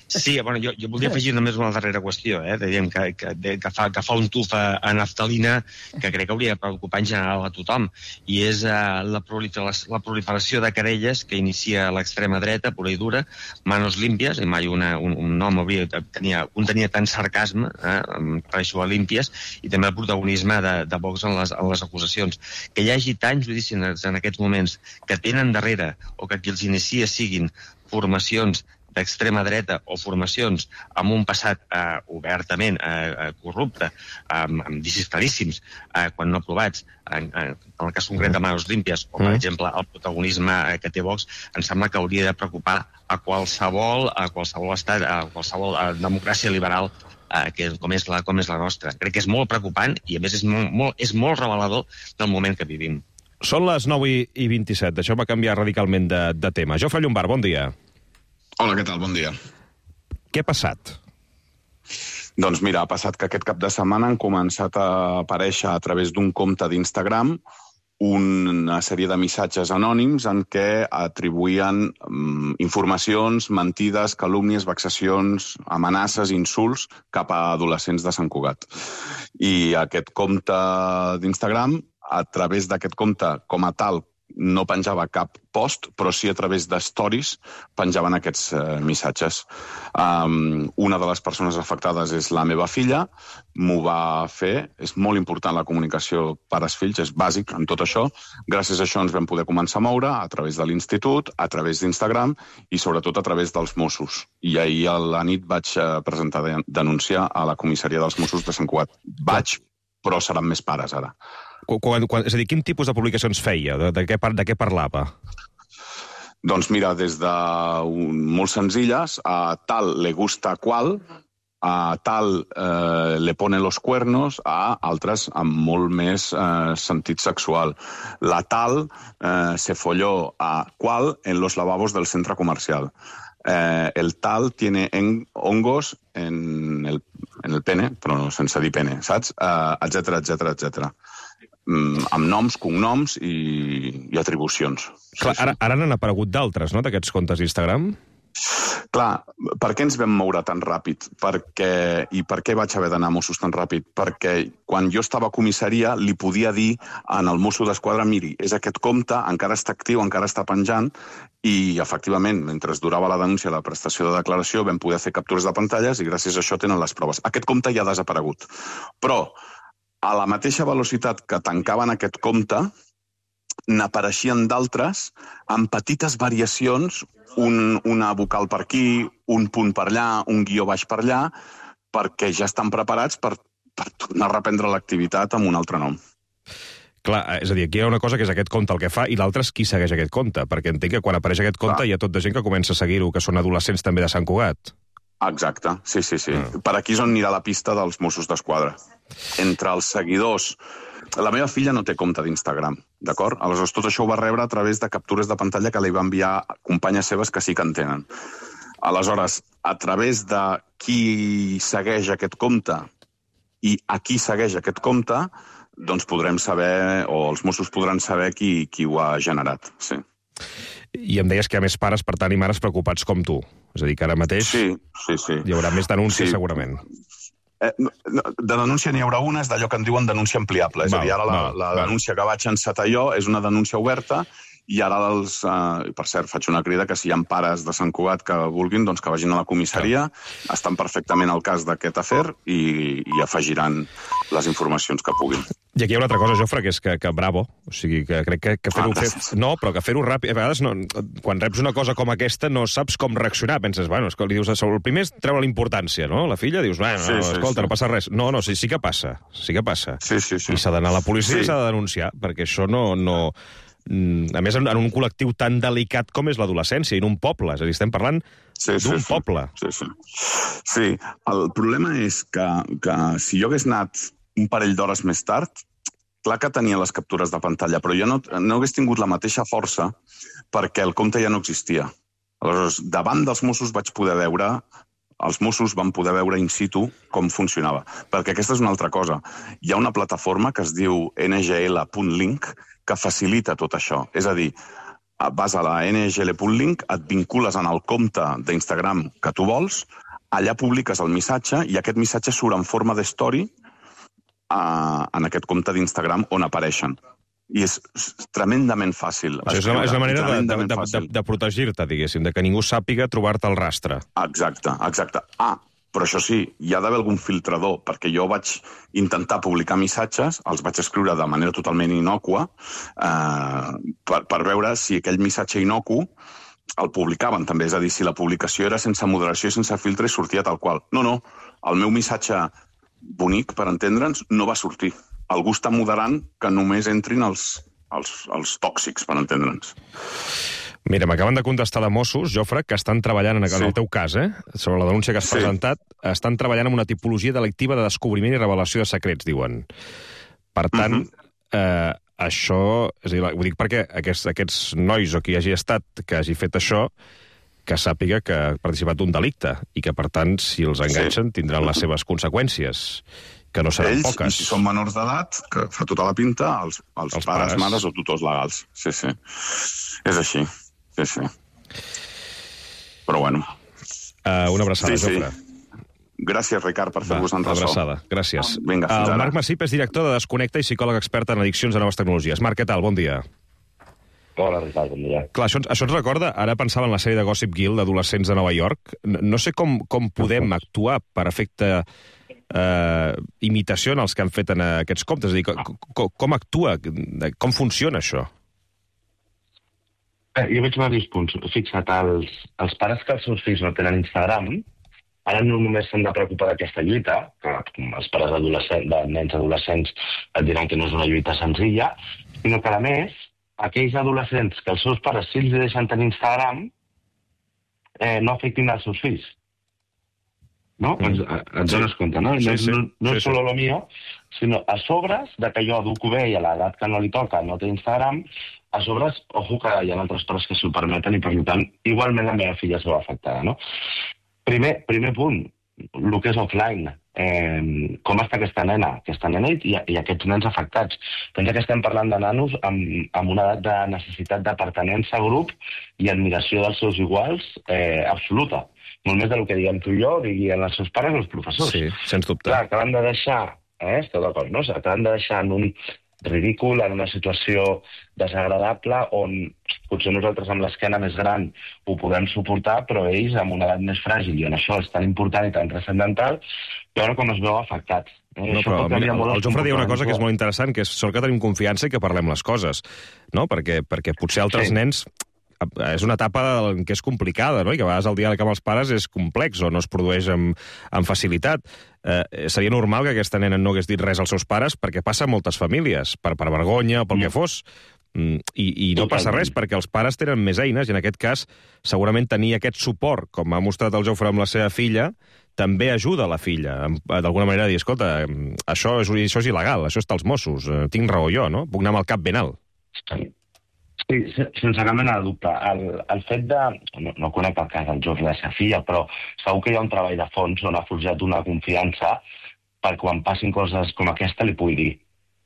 Sí, bueno, jo, jo voldria afegir només una darrera qüestió, eh? Dèiem que, que, que, fa, que fa un tuf a, a naftalina que crec que hauria de preocupar en general a tothom, i és eh, la, proliferació, la proliferació de querelles que inicia l'extrema dreta, pura i dura, manos límpies, i mai una, un, un nom hauria, tenia, un tenia tant sarcasme, eh, per això a límpies, i també el protagonisme de, de Vox en les, en les acusacions. Que hi hagi tants judicis en, en aquests moments que tenen darrere, o que qui els inicia siguin formacions d'extrema dreta o formacions amb un passat eh, obertament eh, corrupte, eh, amb vicis claríssims, eh, quan no aprovats, en, en el cas concret de Manos Límpies, o per exemple el protagonisme que té Vox, em sembla que hauria de preocupar a qualsevol, a qualsevol estat, a qualsevol a democràcia liberal eh, que com és, la, com és la nostra. Crec que és molt preocupant i a més és molt, molt, és molt revelador del moment que vivim. Són les nou i vint-i-set, això va canviar radicalment de, de tema. Jofre Llombart, bon dia. Hola, què tal? Bon dia. Què ha passat? Doncs mira, ha passat que aquest cap de setmana han començat a aparèixer a través d'un compte d'Instagram una sèrie de missatges anònims en què atribuïen um, informacions, mentides, calúmnies, vexacions, amenaces, insults cap a adolescents de Sant Cugat. I aquest compte d'Instagram, a través d'aquest compte com a tal, no penjava cap post, però sí a través de stories penjaven aquests eh, missatges. Um, una de les persones afectades és la meva filla, m'ho va fer, és molt important la comunicació pares-fills, és bàsic en tot això. Gràcies a això ens vam poder començar a moure a través de l'institut, a través d'Instagram i sobretot a través dels Mossos. I ahir a la nit vaig eh, presentar de, denúncia a la comissaria dels Mossos de Sant Cugat. Vaig, però seran més pares ara. Quan, quan, és a dir, quin tipus de publicacions feia? De, de, què, de què parlava? Doncs mira, des de un, molt senzilles, a tal le gusta qual, a tal eh, le pone los cuernos, a altres amb molt més eh, sentit sexual. La tal eh, se folló a qual en los lavabos del centre comercial. Eh, el tal tiene en, hongos en el, en el pene, però no sense dir pene, saps? Eh, etcètera, etcètera, etcètera. Mm, amb noms, cognoms i, i atribucions. Clar, ara, ara n'han aparegut d'altres, no?, d'aquests comptes d'Instagram? Clar, per què ens vam moure tan ràpid? Perquè, I per què vaig haver d'anar a Mossos tan ràpid? Perquè quan jo estava a comissaria li podia dir en el Mosso d'Esquadra, miri, és aquest compte, encara està actiu, encara està penjant, i efectivament, mentre durava la denúncia de la prestació de declaració, vam poder fer captures de pantalles i gràcies a això tenen les proves. Aquest compte ja ha desaparegut. Però a la mateixa velocitat que tancaven aquest compte, n'apareixien d'altres amb petites variacions, un, una vocal per aquí, un punt per allà, un guió baix per allà, perquè ja estan preparats per, per tornar a reprendre l'activitat amb un altre nom. Clar, és a dir, aquí hi ha una cosa que és aquest compte el que fa i l'altra és qui segueix aquest compte, perquè entenc que quan apareix aquest compte Clar. Hi ha tot de gent que comença a seguir-ho, que són adolescents també de Sant Cugat. Exacte, sí, sí, sí. Ah. Per aquí és on anirà la pista dels Mossos d'Esquadra. Entre els seguidors... La meva filla no té compte d'Instagram, d'acord? Aleshores, tot això ho va rebre a través de captures de pantalla que li va enviar companyes seves que sí que en tenen. Aleshores, a través de qui segueix aquest compte i a qui segueix aquest compte, doncs podrem saber, o els Mossos podran saber qui, qui ho ha generat, sí. I em deies que hi ha més pares, per tant, i mares preocupats com tu. És a dir, que ara mateix sí, sí, sí. hi haurà més denúncies, sí. segurament. Eh, de denúncia n'hi haurà una, és d'allò que en diuen denúncia ampliable. És val, a dir, ara la, val, la val. denúncia que vaig encetar jo és una denúncia oberta, i ara, els, eh, per cert, faig una crida que si hi ha pares de Sant Cugat que vulguin, doncs que vagin a la comissaria, ja. estan perfectament al cas d'aquest afer i, i afegiran les informacions que puguin. I aquí hi ha una altra cosa, Jofre, que és que, que bravo. O sigui, que crec que, que fer-ho... Ah, fer... No, però que fer-ho ràpid... A vegades, no, quan reps una cosa com aquesta, no saps com reaccionar. Penses, bueno, escolta, li dius, el primer és treure la importància, no? La filla, dius, bueno, sí, sí, escolta, sí. no passa res. No, no, sí, sí que passa. Sí que passa. Sí, sí, sí. I s'ha d'anar a la policia sí. i s'ha de denunciar, perquè això no... no... A més, en un col·lectiu tan delicat com és l'adolescència, i en un poble. És a dir, estem parlant sí, d'un sí, poble. Sí, sí. Sí, el problema és que, que si jo hagués anat un parell d'hores més tard, clar que tenia les captures de pantalla, però jo no, no hagués tingut la mateixa força perquè el compte ja no existia. Aleshores, davant dels Mossos vaig poder veure, els Mossos van poder veure in situ com funcionava. Perquè aquesta és una altra cosa. Hi ha una plataforma que es diu N G L punt link que facilita tot això. És a dir, vas a la N G L punt link, et vincules en el compte d'Instagram que tu vols, allà publiques el missatge i aquest missatge surt en forma de story en aquest compte d'Instagram on apareixen. I és tremendament fàcil. O sigui, és, la, és la manera de, de, de, de, de protegir-te, diguéssim, de que ningú sàpiga trobar-te el rastre. Exacte, exacte. Ah, però això sí, hi ha d'haver algun filtrador, perquè jo vaig intentar publicar missatges, els vaig escriure de manera totalment innòcua, eh, per, per veure si aquell missatge innocu el publicaven també. És a dir, si la publicació era sense moderació i sense filtre, sortia tal qual. No, no, el meu missatge bonic, per entendre'ns, no va sortir. Algú està moderant que només entrin els, els, els tòxics, per entendre'ns. Mira, m'acaben de contestar de Mossos, Jofre, que estan treballant, en el sí. teu cas, eh, sobre la denúncia que has sí. presentat, estan treballant en una tipologia delictiva de descobriment i revelació de secrets, diuen. Per tant, uh -huh. eh, això... És a dir, ho dic perquè aquests, aquests nois o qui hagi estat que hagi fet això, que sàpiga que ha participat d'un delicte i que, per tant, si els enganxen, sí. tindran les seves conseqüències, que no seran Ells, poques. I si són menors d'edat, que fa tota la pinta, els, els, els pares, pares, mares o tutors legals. Sí, sí. És així. Sí, sí. Però bueno. Uh, una abraçada, sí, sí. Jofre. Gràcies, Ricard, per fer-vos en ressò. Abraçada, gràcies. Vinga, fins el ara. Marc Massip és director de Desconnecta i psicòleg expert en addiccions a noves tecnologies. Marc, què tal? Bon dia. Hola, Ricard, bon dia. Clar, això, això ens recorda, ara pensava en la sèrie de Gossip Girl d'adolescents de Nova York. No, no sé com, com podem actuar per efecte eh, imitació en els que han fet en aquests comptes. És a dir, com, com, com actua, com funciona això? Eh, jo veig diversos punts. Fixa't, els, els pares que els seus fills no tenen Instagram, ara no només s'han de preocupar d'aquesta lluita, que els pares adolescents, de nens adolescents et diran que no és una lluita senzilla, sinó que, a més, aquells adolescents que els seus pares sí els deixen tenir Instagram eh, no afectin els seus fills. No? Mm. Et, et dones sí. compte, no? Sí, no, sí. no, no sí, és solo sí. lo mío, sinó a sobres de que jo educo bé i a l'edat que no li toca no té Instagram, a sobres, ojo que hi ha altres pares que s'ho permeten i, per tant, igualment la meva filla es veu afectada, no? Primer, primer punt, el que és offline. Eh, com està aquesta nena? Aquesta nena i, i aquests nens afectats. Pensa que estem parlant de nanos amb, amb una edat de necessitat de pertinença a grup i admiració dels seus iguals eh, absoluta. Molt més del que diguem tu i jo, diguien els seus pares o els professors. Sí, sens dubte. Clar, acaben de deixar, eh, esteu d'acord, no? Acaben de deixar en un ridícul, en una situació desagradable, on potser nosaltres amb l'esquena més gran ho podem suportar, però ells amb una edat més fràgil, i en això és tan important i tan transcendental, veure com es veu afectats. Eh? No, però mira, el, el Jofre deia una cosa que és molt interessant, que és sort que tenim confiança i que parlem les coses, no? Perquè, perquè potser altres sí. nens és una etapa que és complicada, no? I que a vegades el diàleg amb els pares és complex o no es produeix amb, amb facilitat. Eh, seria normal que aquesta nena no hagués dit res als seus pares perquè passa a moltes famílies, per, per vergonya o pel mm. que fos. Mm, i, I no passa res perquè els pares tenen més eines i en aquest cas segurament tenir aquest suport, com ha mostrat el Jofre amb la seva filla, també ajuda la filla, d'alguna manera a dir, escolta, això és, això és il·legal, això està als Mossos, tinc raó jo, no? Puc anar amb el cap ben alt. Sí. Sí, sense cap mena de dubte. El, el fet de... No, no conec el cas del Jordi de Safia, però segur que hi ha un treball de fons on ha forjat una confiança per quan passin coses com aquesta li pugui dir.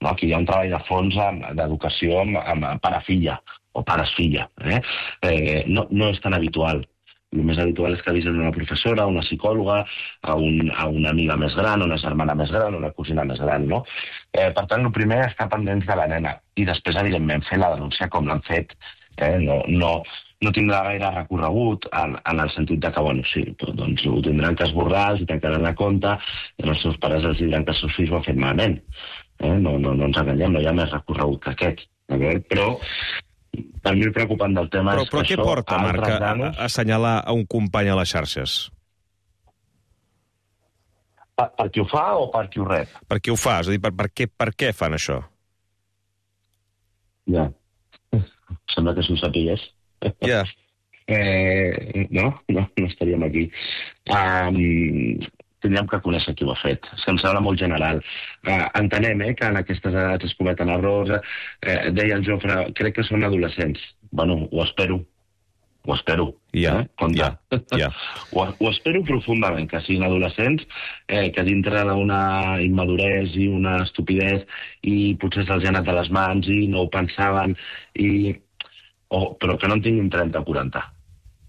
No? Aquí hi ha un treball de fons d'educació amb, amb pare-filla o pares-filla. Eh? Eh, no, no és tan habitual. El més habitual és que avisen una professora, una psicòloga, a, un, a una amiga més gran, una germana més gran, una cosina més gran, no? Eh, per tant, el primer és estar pendents de la nena i després, evidentment, fer la denúncia com l'han fet. Eh? No, no, no tindrà gaire recorregut en, en el sentit de que, bueno, sí, doncs ho tindran que esborrar, els tancaran la compte, i els seus pares els diran que els seus fills ho han fet malament. Eh? No, no, no ens enganyem, no hi ha més recorregut que aquest. Però... per mi el preocupant del tema però, és però que què això... porta, Marc, a, granos... a assenyalar a un company a les xarxes? Per, per qui ho fa o per qui ho rep? Per qui ho fa? És a dir, per, per, què, per què fan això? Ja. Sembla que s'ho sapigués. Ja. eh, no, no, no estaríem aquí. Um, tindríem que conèixer qui ho ha fet. Se'm sembla molt general. Uh, entenem eh, que en aquestes edats es cometen errors. Uh, deia el Jofre, crec que són adolescents. Bueno, ho espero. Ho espero. Ja, eh? ja, ja. Ho, ho espero profundament, que siguin adolescents, eh, que dintre d'una immaduresa i una estupidesa i potser se'ls ha anat a les mans i no ho pensaven, i... oh, però que no en tinguin trenta o quaranta.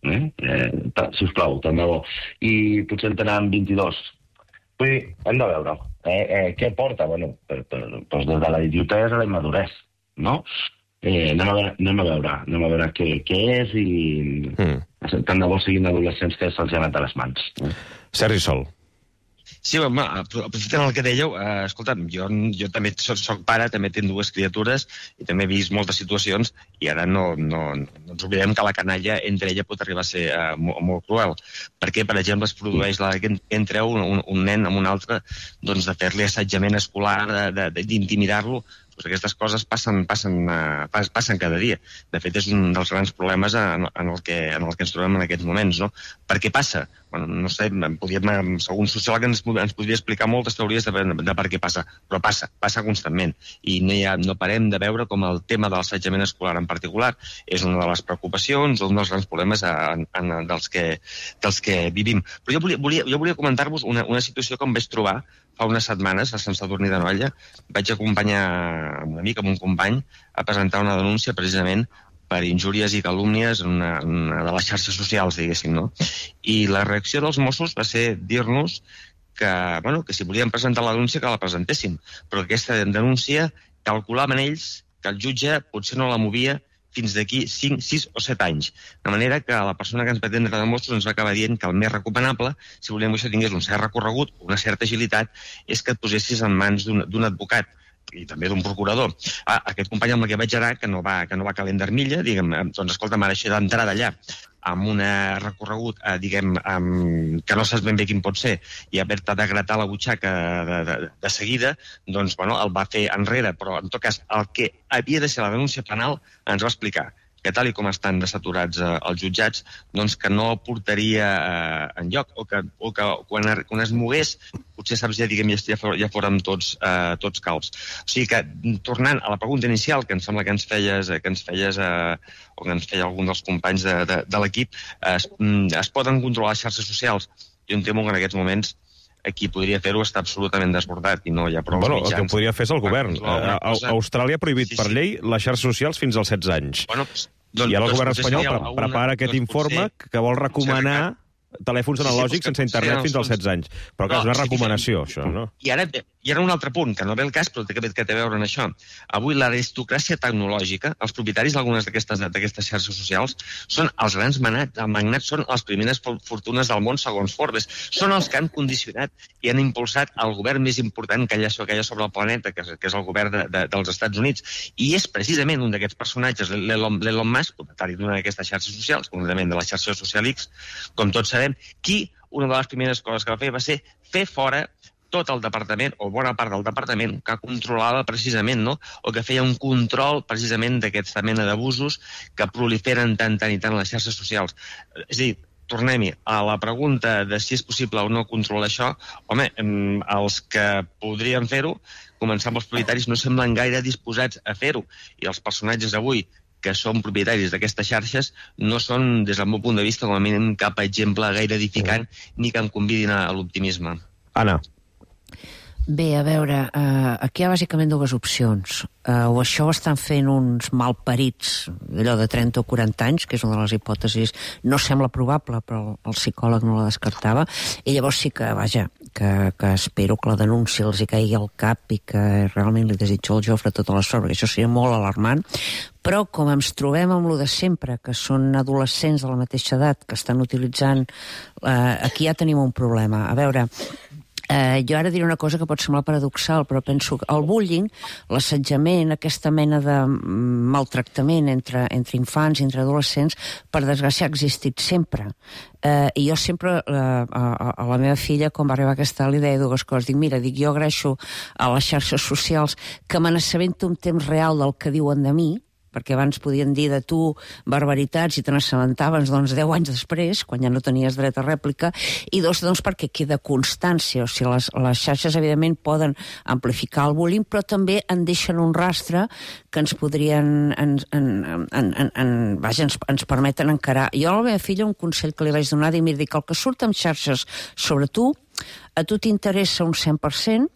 Eh? Eh, sisplau, tant de bo. I potser en tenen vint-i-dos. Vull dir, hem de veure. Eh, eh, què porta? Bueno, per, per, doncs des de la idiotesa a la immaduresa, no? Eh, anem, a veure, anem a veure, anem a veure què, què és i mm. tant de bo siguin adolescents que se'ls ha anat a les mans. Eh? Sergi Sol. Sí, home, aprofitant el que dèieu, eh, escolta'm, jo, jo també soc, soc pare, també tinc dues criatures i també he vist moltes situacions i ara no, no, no ens oblidem que la canalla entre ella pot arribar a ser eh, molt, molt cruel. Perquè, per exemple, es produeix la, que entre un, un, un nen amb un altre doncs, de fer-li assetjament escolar, d'intimidar-lo. Pues aquestes coses passen, passen, uh, passen cada dia. De fet, és un dels grans problemes en, en, el que, en el que ens trobem en aquests moments, no? Per què passa? Bueno, no sé, podríem, algun sociòleg ens, ens podria explicar moltes teories de, de, de per què passa, però passa, passa constantment. I no, hi ha, no parem de veure com el tema de l'assetjament escolar en particular és una de les preocupacions, un dels grans problemes en, en, dels, que, dels que vivim. Però jo volia, volia, jo volia comentar-vos una, una situació que em vaig trobar fa unes setmanes a Sant Sadurní d'Anoia. Vaig acompanyar un amic, amb un company, a presentar una denúncia precisament per injúries i calúmnies en una, una de les xarxes socials, diguéssim, no? I la reacció dels Mossos va ser dir-nos que, bueno, que si volien presentar la denúncia que la presentessin, però aquesta denúncia calculaven ells que el jutge potser no la movia fins d'aquí cinc, sis o set anys. De manera que la persona que ens va atendre de Mossos ens va acabar dient que el més recomanable, si volíem que això tingués un cert recorregut, una certa agilitat, és que et posessis en mans d'un advocat i també d'un procurador. Ah, aquest company amb el que vaig anar, que no va, que no va calent d'armilla, diguem, doncs escolta, m'ha deixat d'entrar d'allà amb un recorregut, eh, diguem, amb, que no saps ben bé quin pot ser, i haver-te de gratar la butxaca de, de, de seguida, doncs, bueno, el va fer enrere, però, en tot cas, el que havia de ser la denúncia penal ens va explicar que tal i com estan desaturats eh, els jutjats, doncs que no portaria eh, enlloc, o que, o que quan, quan es mogués, potser saps ja, diguem, ja, ja fórem tots, eh, tots calbs. O sigui que, tornant a la pregunta inicial, que em sembla que ens feies, que ens feies eh, o que ens feia algun dels companys de, de, de l'equip, eh, es, es poden controlar les xarxes socials? Jo em temo que en aquests moments qui podria fer-ho està absolutament desbordat i no hi ha prou bueno, mitjans. El que podria fer és el govern. A, a, a Austràlia ha prohibit sí, sí. per llei les xarxes socials fins als setze anys. Bueno, doncs, I ara el doncs, govern espanyol una, prepara aquest doncs, informe potser, que vol recomanar telèfons analògics sí, sí, sense internet fins als setze anys. Però clar, no, és una recomanació, sí, això, no? I ara, I ara un altre punt, que no ve el cas, però que, que té a veure amb això. Avui l'aristocràcia tecnològica, els propietaris d'algunes d'aquestes xarxes socials, són els grans magnats, els magnats són les primeres fortunes del món, segons Forbes. Són els que han condicionat i han impulsat el govern més important que hi ha, que hi ha sobre el planeta, que és, que és el govern de, de, dels Estats Units. I és precisament un d'aquests personatges, l'Elon Musk, propietari d'una d'aquestes xarxes socials, concretament de la xarxa Social X, com tots sabem, qui una de les primeres coses que va fer va ser fer fora tot el departament, o bona part del departament, que controlava precisament, no? O que feia un control precisament d'aquesta mena d'abusos que proliferen tant, tant i tant a les xarxes socials. És a dir, tornem-hi a la pregunta de si és possible o no controlar això. Home, els que podrien fer-ho, començant pels propietaris, no semblen gaire disposats a fer-ho. I els personatges avui que són propietaris d'aquestes xarxes no són, des del meu punt de vista, com a mínim cap exemple gaire edificant ni que em convidin a l'optimisme. Anna. Bé, a veure, uh, aquí hi ha bàsicament dues opcions. Uh, o això ho estan fent uns malparits, allò de trenta o quaranta anys, que és una de les hipòtesis, no sembla probable, però el psicòleg no la descartava, i llavors sí que, vaja, que, que espero que la denúncia els hi caigui al cap i que realment li desitjo al Jofre tota la sort, perquè això seria molt alarmant. Però com ens trobem amb lo de sempre, que són adolescents de la mateixa edat que estan utilitzant, uh, aquí ja tenim un problema. A veure, Uh, jo ara diré una cosa que pot semblar paradoxal, però penso que el bullying, l'assetjament, aquesta mena de maltractament entre, entre infants i entre adolescents, per desgràcia ha existit sempre. Uh, I jo sempre, uh, a, a la meva filla, quan va arribar aquesta, li deia dues coses. Dic, mira, dic, jo agraeixo a les xarxes socials que me n'assabento en temps real del que diuen de mi, perquè abans podien dir de tu barbaritats i te n'assabentaves doncs deu anys després, quan ja no tenies dret a rèplica, i dos, doncs perquè queda constància, o sigui, les, les xarxes evidentment poden amplificar el bullying, però també en deixen un rastre que ens podrien, en, en, en, en, en, vaja, ens, ens permeten encarar. Jo a la meva filla un consell que li vaig donar, dir, mira, dic, el que surt amb xarxes sobre tu, a tu t'interessa un cent per cent,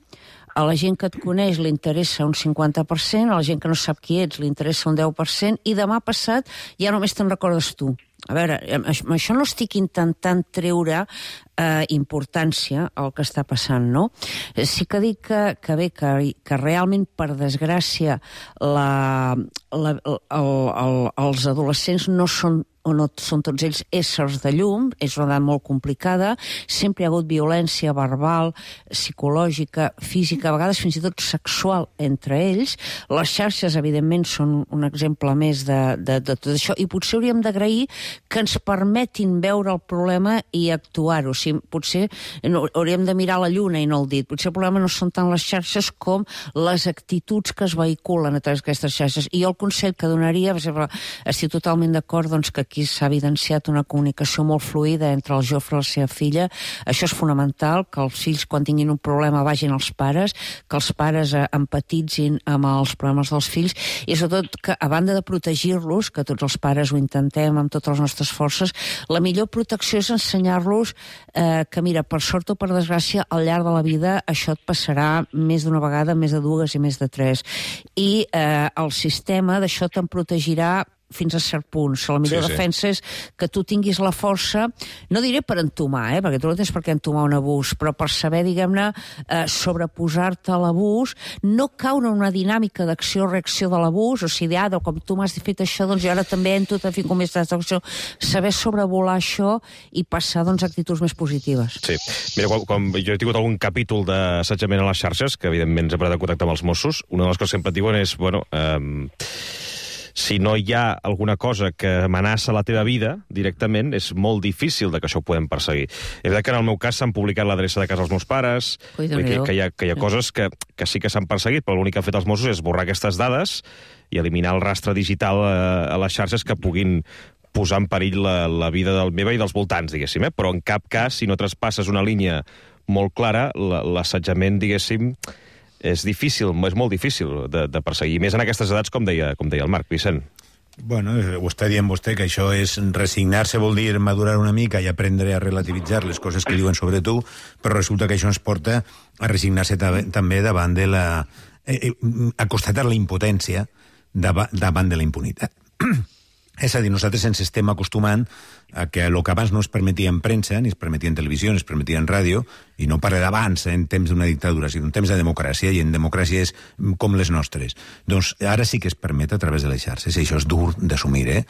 a la gent que et coneix li interessa un cinquanta per cent, a la gent que no sap qui ets li interessa un deu per cent, i demà passat ja només te'n recordes tu. A veure, amb això no estic intentant treure eh, importància al que està passant, no? Sí que dic que, que bé, que, que realment, per desgràcia, la, la, el, el, els adolescents no són o no són tots ells éssers de llum, és una edat molt complicada, sempre hi ha hagut violència verbal, psicològica, física, a vegades fins i tot sexual entre ells. Les xarxes, evidentment, són un exemple més de, de, de tot això, i potser hauríem d'agrair que ens permetin veure el problema i actuar-ho. O sigui, potser no, hauríem de mirar la lluna i no el dit. Potser el problema no són tant les xarxes com les actituds que es vehiculen a través d'aquestes xarxes. I jo el consell que donaria, per exemple, estic totalment d'acord doncs, que aquí s'ha evidenciat una comunicació molt fluida entre el Jofre i la seva filla. Això és fonamental, que els fills, quan tinguin un problema, vagin als pares, que els pares eh, empatitzin amb els problemes dels fills, i sobretot que, a banda de protegir-los, que tots els pares ho intentem amb totes les nostres forces, la millor protecció és ensenyar-los eh, que, mira, per sort o per desgràcia, al llarg de la vida això et passarà més d'una vegada, més de dues i més de tres. I eh, el sistema d'això te'n protegirà fins a cert punt. La millor sí, sí. defensa és que tu tinguis la força, no diré per entomar, eh, perquè tu no tens per què entomar un abús, però per saber, diguem-ne, eh, sobreposar-te a l'abús, no caure en una dinàmica d'acció-reacció de l'abús, o sigui, ah, com tu m'has fet això, doncs jo ara també entro a fer com més d'acció, saber sobrevolar això i passar, doncs, a actituds més positives. Sí. Mira, quan, quan jo he tingut algun capítol d'assetjament a les xarxes, que evidentment ens he de contactar amb els Mossos, una de les coses que sempre et diuen és, bueno, eh, si no hi ha alguna cosa que amenaça la teva vida directament, és molt difícil de que això ho podem perseguir. És veritat que en el meu cas s'han publicat l'adreça de casa dels meus pares, que, que, hi ha, que hi ha coses que, que sí que s'han perseguit, però l'únic que han fet els Mossos és borrar aquestes dades i eliminar el rastre digital a, a les xarxes que puguin posar en perill la, la vida del meva i dels voltants, diguéssim, eh? Però en cap cas, si no traspasses una línia molt clara, l'assetjament, diguéssim, és difícil, és molt difícil de, de perseguir, més en aquestes edats, com deia, com deia el Marc. Vicent. Bueno, ho està dient vostè, que això és resignar-se, vol dir madurar una mica i aprendre a relativitzar les coses que diuen sobre tu, però resulta que això ens porta a resignar-se també davant de la... Eh, a constatar la impotència davant de la impunitat. És a dir, nosaltres ens estem acostumant a que el que abans no es permetia en premsa, ni es permetia en televisió, ni es permetia en ràdio, i no parla d'abans en temps d'una dictadura, sinó en temps de democràcia, i en democràcies com les nostres. Doncs ara sí que es permet a través de les xarxes, i això és dur d'assumir, eh?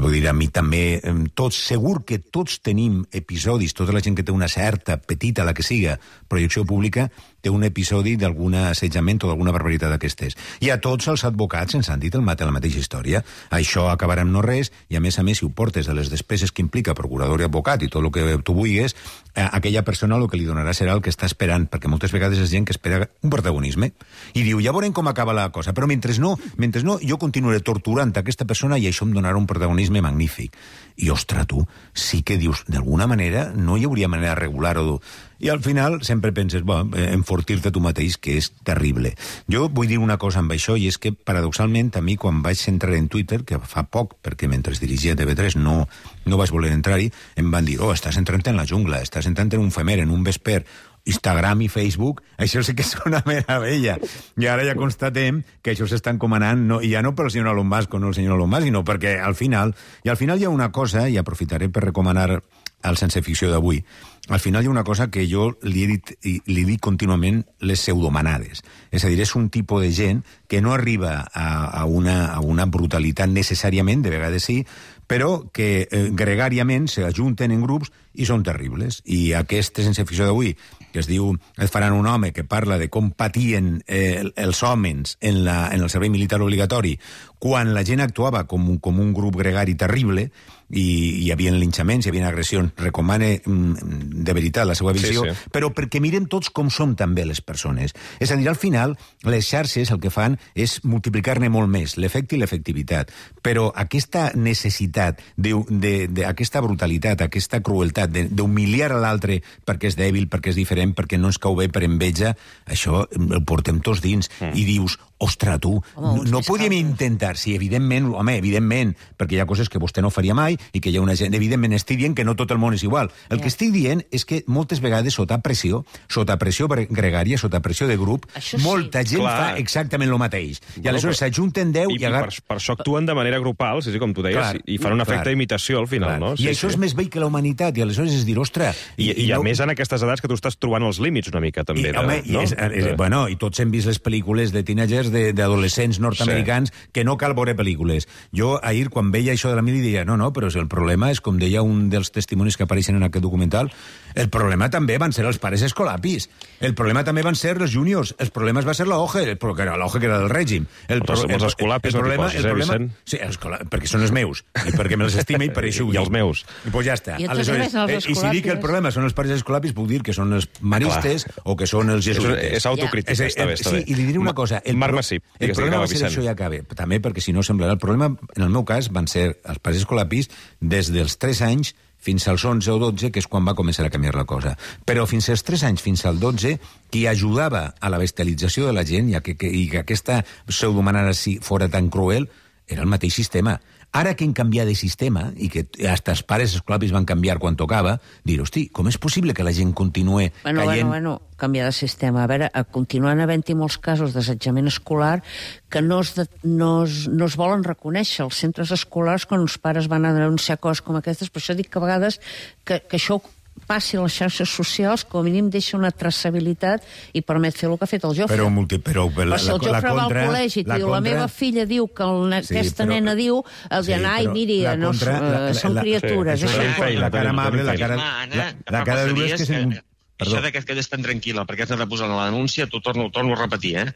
Vull dir, a mi també, tots, segur que tots tenim episodis, tota la gent que té una certa, petita, la que siga, projecció pública, té un episodi d'algun assetjament o d'alguna barbaritat d'aquestes. I a tots els advocats ens han dit el mate, la mateixa història. Això acabarà amb no res, i a més a més, si ho portes de les despeses que implica procurador i advocat i tot el que tu vulguis, eh, aquella persona el que li donarà serà el que està esperant, perquè moltes vegades és gent que espera un protagonisme, i diu, ja veurem com acaba la cosa, però mentre no, mentre no jo continuaré torturant aquesta persona i això em donarà un protagonisme magnífic. I, ostres, tu, sí que dius, d'alguna manera no hi hauria manera de regular-ho. I al final sempre penses, bueno, em enfortir-te tu mateix, que és terrible. Jo vull dir una cosa amb això, i és que, paradoxalment, a mi, quan vaig entrar en Twitter, que fa poc, perquè mentre dirigia T V tres no, no vaig voler entrar-hi, em van dir, oh, estàs entrant en la jungla, estàs entrant en un femer, en un vesper, Instagram i Facebook, això sí que és una meravella. I ara ja constatem que això s'està encomanant, no, i ja no pel senyor Elon Musk o no el senyor Elon Musk, sinó perquè al final, i al final hi ha una cosa, i aprofitaré per recomanar al Sense Ficció d'avui, al final hi ha una cosa que jo li he dit, i li dic contínuament, les pseudomanades. És a dir, és un tipus de gent que no arriba a, a, una, a una brutalitat necessàriament, de vegades sí, però que eh, gregàriament s'ajunten en grups i són terribles. I aquest Sense Ficció d'avui, que es diu Et faran un home, que parla de com patien eh, els homes en, la, en el servei militar obligatori quan la gent actuava com un, com un grup gregari terrible, i hi havia linxaments, hi havia agressions. Recomane de veritat la seva visió, sí, sí. Però perquè mirem tots com som també les persones. És a dir, al final, les xarxes el que fan és multiplicar-ne molt més, l'efecte i l'efectivitat. Però aquesta necessitat, de, de, de, aquesta brutalitat, aquesta crueltat d'humiliar a l'altre perquè és dèbil, perquè és diferent, perquè no ens cau bé per enveja, això el portem tots dins. Mm. I dius, ostres, tu, home, no, no podíem intentar, sí, evidentment, home, evidentment, perquè hi ha coses que vostè no faria mai i que hi ha una gent, evidentment, estic dient que no tot el món és igual. El yeah. que estic dient és que moltes vegades sota pressió, sota pressió gregària, sota pressió de grup, això molta sí. gent Clar. fa exactament el mateix. I bueno, aleshores s'ajunten deu i... I agar... per, per això actuen de manera grupal, sí, sí, com tu deies, Clar. i fan un efecte Clar. d'imitació al final, Clar. no? Sí, I això sí. és més vell que la humanitat, i aleshores és dir, ostres... I, i, i a no... més en aquestes edats que tu estàs trobant els límits una mica, també. I, de, home, no? i és, és, bueno, i tots hem vist les pel·lícules de teenagers, d'adolescents nord-americans, sí. que no cal veure pel·lícules. Jo, ahir, quan veia això de la mili, deia, no, no, però el problema és, com deia un dels testimonis que apareixen en aquest documental, el problema també van ser els pares escolapis, el problema també van ser els juniors, els problemes va ser la O G E, però que era la O G E que era del règim. El, però els escolapis no t'hi poses, eh, Vicent? Sí, escola, perquè són els meus, i perquè me'ls estime i per això ho dic. I els meus. I pues ja està. I, Aleshores, eh, i si dic que el problema són els pares escolapis, puc dir que són els maristes Clar. o que són els jesuïtes. És, és autocrítica, ja. està bé, està bé. Sí, i li diré una cosa. El, Marc Massip. El problema va ser això, ja acaba. També perquè si no semblarà... El problema, en el meu cas, van ser els pares escolapis des dels tres anys fins als onze o dotze, que és quan va començar a canviar la cosa. Però fins als tres anys, fins al dotze, qui ajudava a la bestialització de la gent i, a que, que, i que aquesta pseudomanada fora tan cruel era el mateix sistema. Ara que hem canviat de sistema, i que hasta els pares escolapis van canviar quan tocava, dir, hosti, com és possible que la gent continue bueno, caient... Bueno, bueno, canviar de sistema. A veure, continuen havent-hi molts casos d'assetjament escolar que no es, de, no, es, no es volen reconèixer. Els centres escolars, quan els pares van a denunciar coses com aquestes, per això dic que a vegades que, que això passi a les xarxes socials, com a mínim deixa una traçabilitat i permet fer el que ha fet el Jofre. Però, multi, però, però la, si el Jofre la va contra, al col·legi i diu, contra... la meva filla diu que el, sí, aquesta però, nena diu, el sí, ai, miri, no, contra, la, la, són la, criatures. Sí, això la, la cara amable, la cara... La, la cara dura és que... que això de que et quedes tan tranquil·la perquè has de posar la denúncia, t'ho torno, torno a repetir, eh?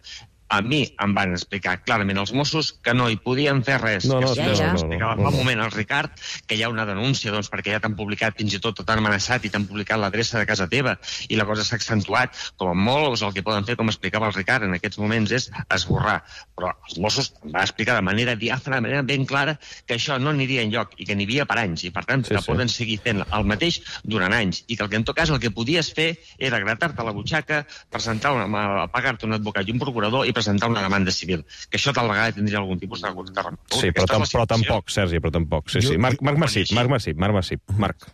A mi em van explicar clarament els Mossos que no hi podien fer res. No, no, que ja, ja. explicava fa un moment al Ricard que hi ha una denúncia doncs, perquè ja t'han publicat, fins i tot t'han amenaçat i t'han publicat l'adreça de casa teva i la cosa s'ha accentuat. Com a molt, el que poden fer, com explicava el Ricard en aquests moments, és esborrar. Però els Mossos em van explicar de manera diàfana, de manera ben clara, que això no aniria enlloc i que n'hi havia per anys i, per tant, sí, que sí. poden seguir fent el mateix durant anys i que el que en tot cas el que podies fer era gratar-te la butxaca, presentar una, pagar-te un advocat i un procurador i presentar una demanda civil, que això tal vegada tindria algun tipus de... Sí, però, tam, però tampoc, Sergi, però tampoc. Sí, sí. Marc, Marc Massip, Marc Massip, Marc Massip. Marc.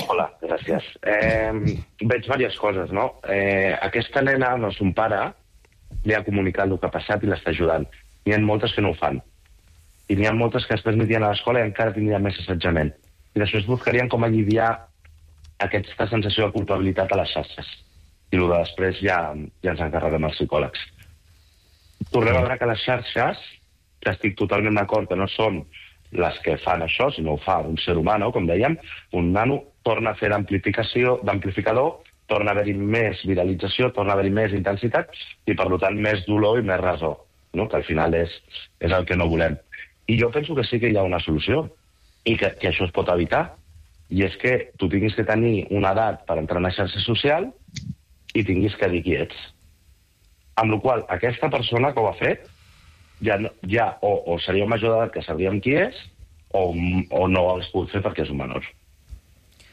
Hola, gràcies. Eh, veig diverses coses, no? Eh, aquesta nena, no, son pare, li ha comunicat el que ha passat i l'està ajudant. N'hi ha moltes que no ho fan. I n'hi ha moltes que després anirien a l'escola i encara tindrien més assetjament. I després buscarien com aliviar aquesta sensació de culpabilitat a les xarxes. I el de després ja, ja ens encarreguem els psicòlegs. Tornem a veure que les xarxes, que estic totalment d'acord que no són les que fan això, sinó ho fa un ser humà, com dèiem, un nano torna a fer d'amplificació, d'amplificador, torna a haver-hi més viralització, torna a haver-hi més intensitat i, per tant, més dolor i més resó, no? Que al final és, és el que no volem. I jo penso que sí que hi ha una solució i que, que això es pot evitar, i és que tu tinguis que tenir una edat per entrar en una xarxa social i tinguis que dir qui ets. Amb la qual cosa, aquesta persona que ho ha fet ja, ja o, o seria un major d'edat que sabríem qui és o, o no ho hagués pogut fer perquè és un menor.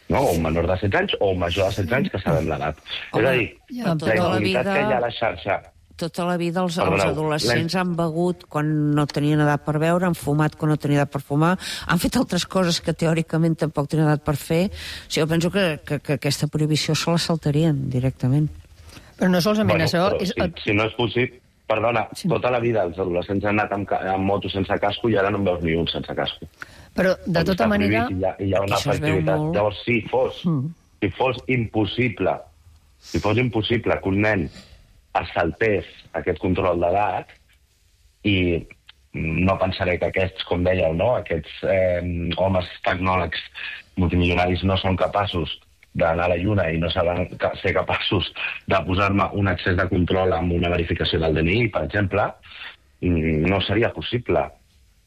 no? O un menor de setze anys o un major de setze anys que sabem l'edat. És a dir, ja, la impunitat vida... que hi ha a la xarxa... Tota la vida els, Perdoneu, els adolescents han begut quan no tenien edat per beure, han fumat quan no tenien edat per fumar, han fet altres coses que teòricament tampoc tenien edat per fer. O sigui, jo penso que, que, que aquesta prohibició se la saltarien directament. Però no solament bueno, això... És... Si, si no és possible... Perdona, sí. Tota la vida els adolescents han anat amb, amb moto sense casco i ara no en veus ni un sense casco. Però, de tota manera... Hi ha, hi ha una efectivitat. Molt... Llavors, si fos, mm. si fos impossible, si fos impossible que un nen es saltés aquest control d'edat, i no pensaré que aquests, com dèieu, no? aquests eh, homes tecnòlegs multimilionaris no són capaços d'anar a la lluna i no saben ser capaços de posar-me un accés de control amb una verificació del D N I, per exemple, no seria possible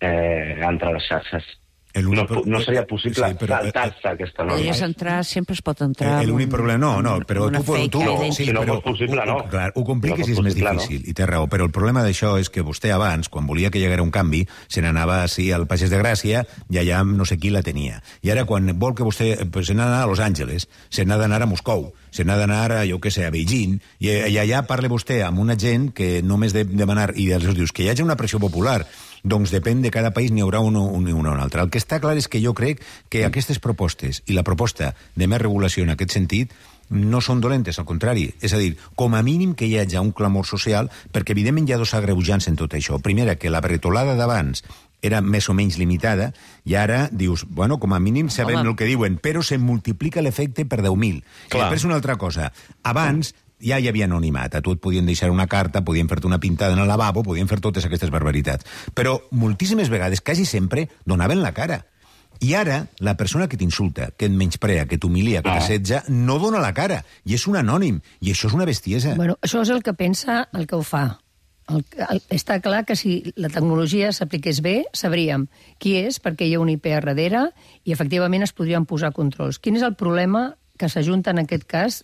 eh, entrar a les xarxes. No, no seria possible sí, però, saltar-se aquesta norma. Podries entrar, sempre es pot entrar... L'únic problema, no, no, però tu... tu no, sí, si no però, fos possible, no. Clar, ho compliques si no és més difícil, no? I té raó, però el problema d'això és que vostè abans, quan volia que hi haguera un canvi, se n'anava així al Pagès de Gràcia i allà no sé qui la tenia. I ara, quan vol que vostè... Pues, se n'ha d'anar a Los Angeles, se n'ha d'anar a Moscou, se n'ha d'anar a, jo què sé, a Beijing, i, i allà parla vostè amb una gent que només de demanar, i els dius que hi hagi una pressió popular, doncs depèn de cada país, n'hi haurà un o un, un altre. El que està clar és que jo crec que aquestes propostes i la proposta de més regulació en aquest sentit no són dolentes, al contrari. És a dir, com a mínim que hi hagi un clamor social, perquè evidentment hi ha dos agreujants en tot això. Primera, que la bretolada d'abans era més o menys limitada, i ara dius, bueno, com a mínim sabem Home. el que diuen, però se multiplica l'efecte per deu mil. I després una altra cosa. Abans ja hi havia anonimat, a tu et podien deixar una carta, podien fer-te una pintada en el lavabo, podien fer totes aquestes barbaritats. Però moltíssimes vegades, quasi sempre, donaven la cara. I ara, la persona que t'insulta, que et menysprea, que t'humilia, que t'assetja, no dona la cara, i és un anònim, i això és una bestiesa. Bueno, això és el que pensa el que ho fa. El, el, està clar que si la tecnologia s'apliqués bé, sabríem qui és, perquè hi ha un I P a darrere, i efectivament es podrien posar controls. Quin és el problema que s'ajunta en aquest cas,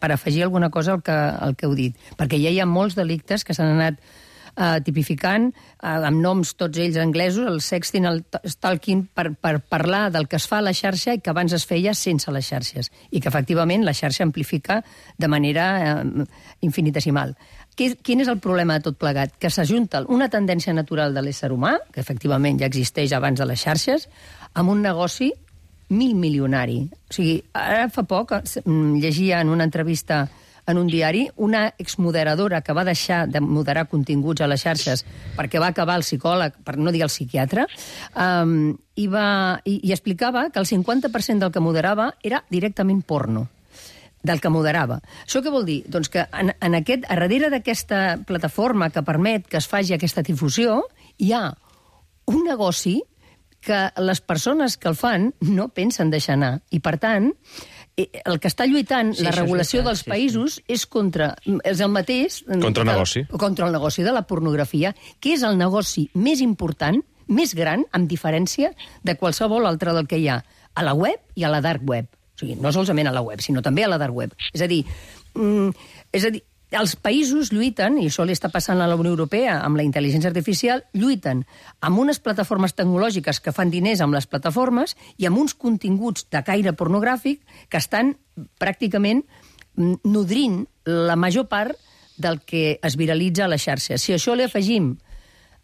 per afegir alguna cosa al que, al que heu dit? Perquè ja hi ha molts delictes que s'han anat uh, tipificant, uh, amb noms tots ells anglesos, el sexting, el stalking, per, per parlar del que es fa a la xarxa i que abans es feia sense les xarxes, i que efectivament la xarxa amplifica de manera uh, infinitesimal. Quin és el problema de tot plegat? Que s'ajunta una tendència natural de l'ésser humà, que efectivament ja existeix abans de les xarxes, amb un negoci mil milionari. O sigui, ara fa poc llegia en una entrevista en un diari una exmoderadora que va deixar de moderar continguts a les xarxes perquè va acabar el psicòleg, per no dir el psiquiatre, um, i, va, i, i explicava que el cinquanta per cent del que moderava era directament porno, del que moderava. Això què vol dir? Doncs que en, en aquest, a darrere d'aquesta plataforma que permet que es faci aquesta difusió, hi ha un negoci que les persones que el fan no pensen deixar anar. I, per tant, el que està lluitant sí, la regulació veritat, dels països sí, sí. és contra... És el mateix... Contra el negoci. Contra el negoci de la pornografia, que és el negoci més important, més gran, amb diferència de qualsevol altre del que hi ha a la web i a la dark web. O sigui, no solament a la web, sinó també a la dark web. És a dir, mm, és a dir, els països lluiten, i això li està passant a la Unió Europea amb la intel·ligència artificial, lluiten amb unes plataformes tecnològiques que fan diners amb les plataformes i amb uns continguts de caire pornogràfic que estan pràcticament nodrint la major part del que es viralitza a les xarxes. Si a això li afegim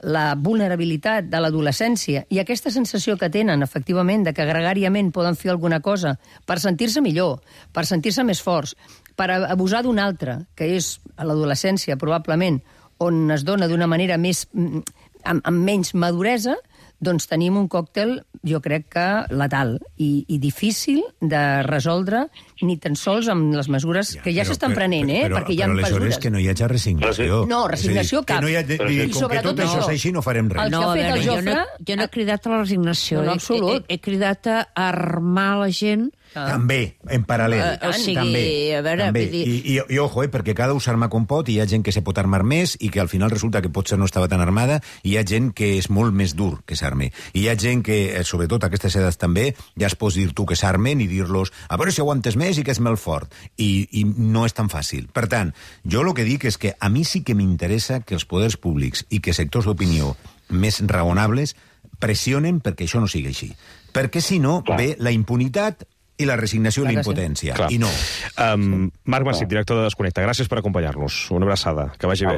la vulnerabilitat de l'adolescència i aquesta sensació que tenen, efectivament, de que gregàriament poden fer alguna cosa per sentir-se millor, per sentir-se més forts, per abusar d'un altre, que és a l'adolescència, probablement, on es dona d'una manera més, amb, amb menys maduresa, doncs tenim un còctel, jo crec que letal i, i difícil de resoldre ni tan sols amb les mesures que ja s'estan prenent, eh? Però, perquè hi ha però aleshores mesures. Que no hi hagi resignació. No, resignació dir, cap. Que no hi ha, dir, I com que tot això és així, no farem res. No, a veure, jo, no, jo no he cridat a la resignació. No, no, absolut. He, he, he cridat a armar la gent. Ah. També, en paral·lel. Uh, o sigui, també, a veure... també. Dir... I, i, I ojo, eh, perquè cada un s'arma com pot, i hi ha gent que se pot armar més i que al final resulta que potser no estava tan armada, i hi ha gent que és molt més dur que s'arme. I hi ha gent que, sobretot a aquestes edats també, ja es pots dir tu que s'armen i dir-los a veure si aguantes més i que és molt fort. I, I no és tan fàcil. Per tant, jo el que dic és que a mi sí que m'interessa que els poders públics i que sectors d'opinió més raonables pressionen perquè això no sigui així. Perquè si no, ve la impunitat i la resignació i la impotència. I no. Um, Marc Massip, director de Desconnecta, gràcies per acompanyar-nos. Una abraçada, que vagi bé.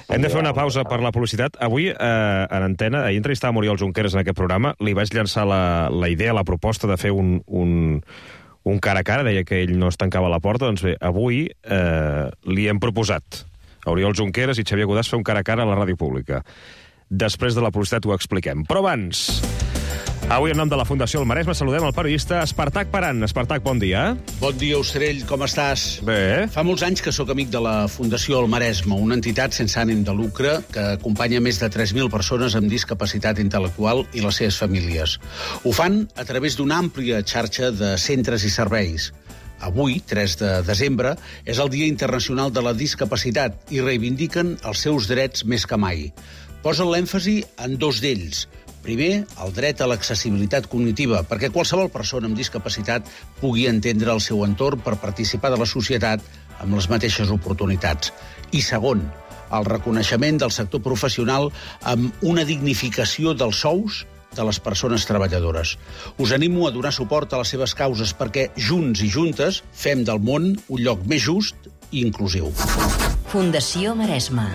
Hem de fer una pausa per la publicitat. Avui, eh, en antena, ahir entrevistàvem Oriol Junqueras en aquest programa, li vaig llançar la, la idea, la proposta de fer un, un, un cara a cara, deia que ell no es tancava la porta, doncs bé, avui eh, li hem proposat a Oriol Junqueras i Xavier Godàs fer un cara a cara a la ràdio pública. Després de la publicitat ho expliquem. Però abans... Avui, en nom de la Fundació El Maresme, saludem el periodista Espartac Paran. Espartac, bon dia. Bon dia, Ostrell, com estàs? Bé. Fa molts anys que sóc amic de la Fundació El Maresme, una entitat sense ànim de lucre que acompanya més de tres mil persones amb discapacitat intel·lectual i les seves famílies. Ho fan a través d'una àmplia xarxa de centres i serveis. Avui, tres de desembre, és el Dia Internacional de la Discapacitat i reivindiquen els seus drets més que mai. Posen l'èmfasi en dos d'ells. Primer, el dret a l'accessibilitat cognitiva, perquè qualsevol persona amb discapacitat pugui entendre el seu entorn per participar de la societat amb les mateixes oportunitats. I segon, el reconeixement del sector professional amb una dignificació dels sous de les persones treballadores. Us animo a donar suport a les seves causes perquè junts i juntes fem del món un lloc més just i inclusiu. Fundació Maresme.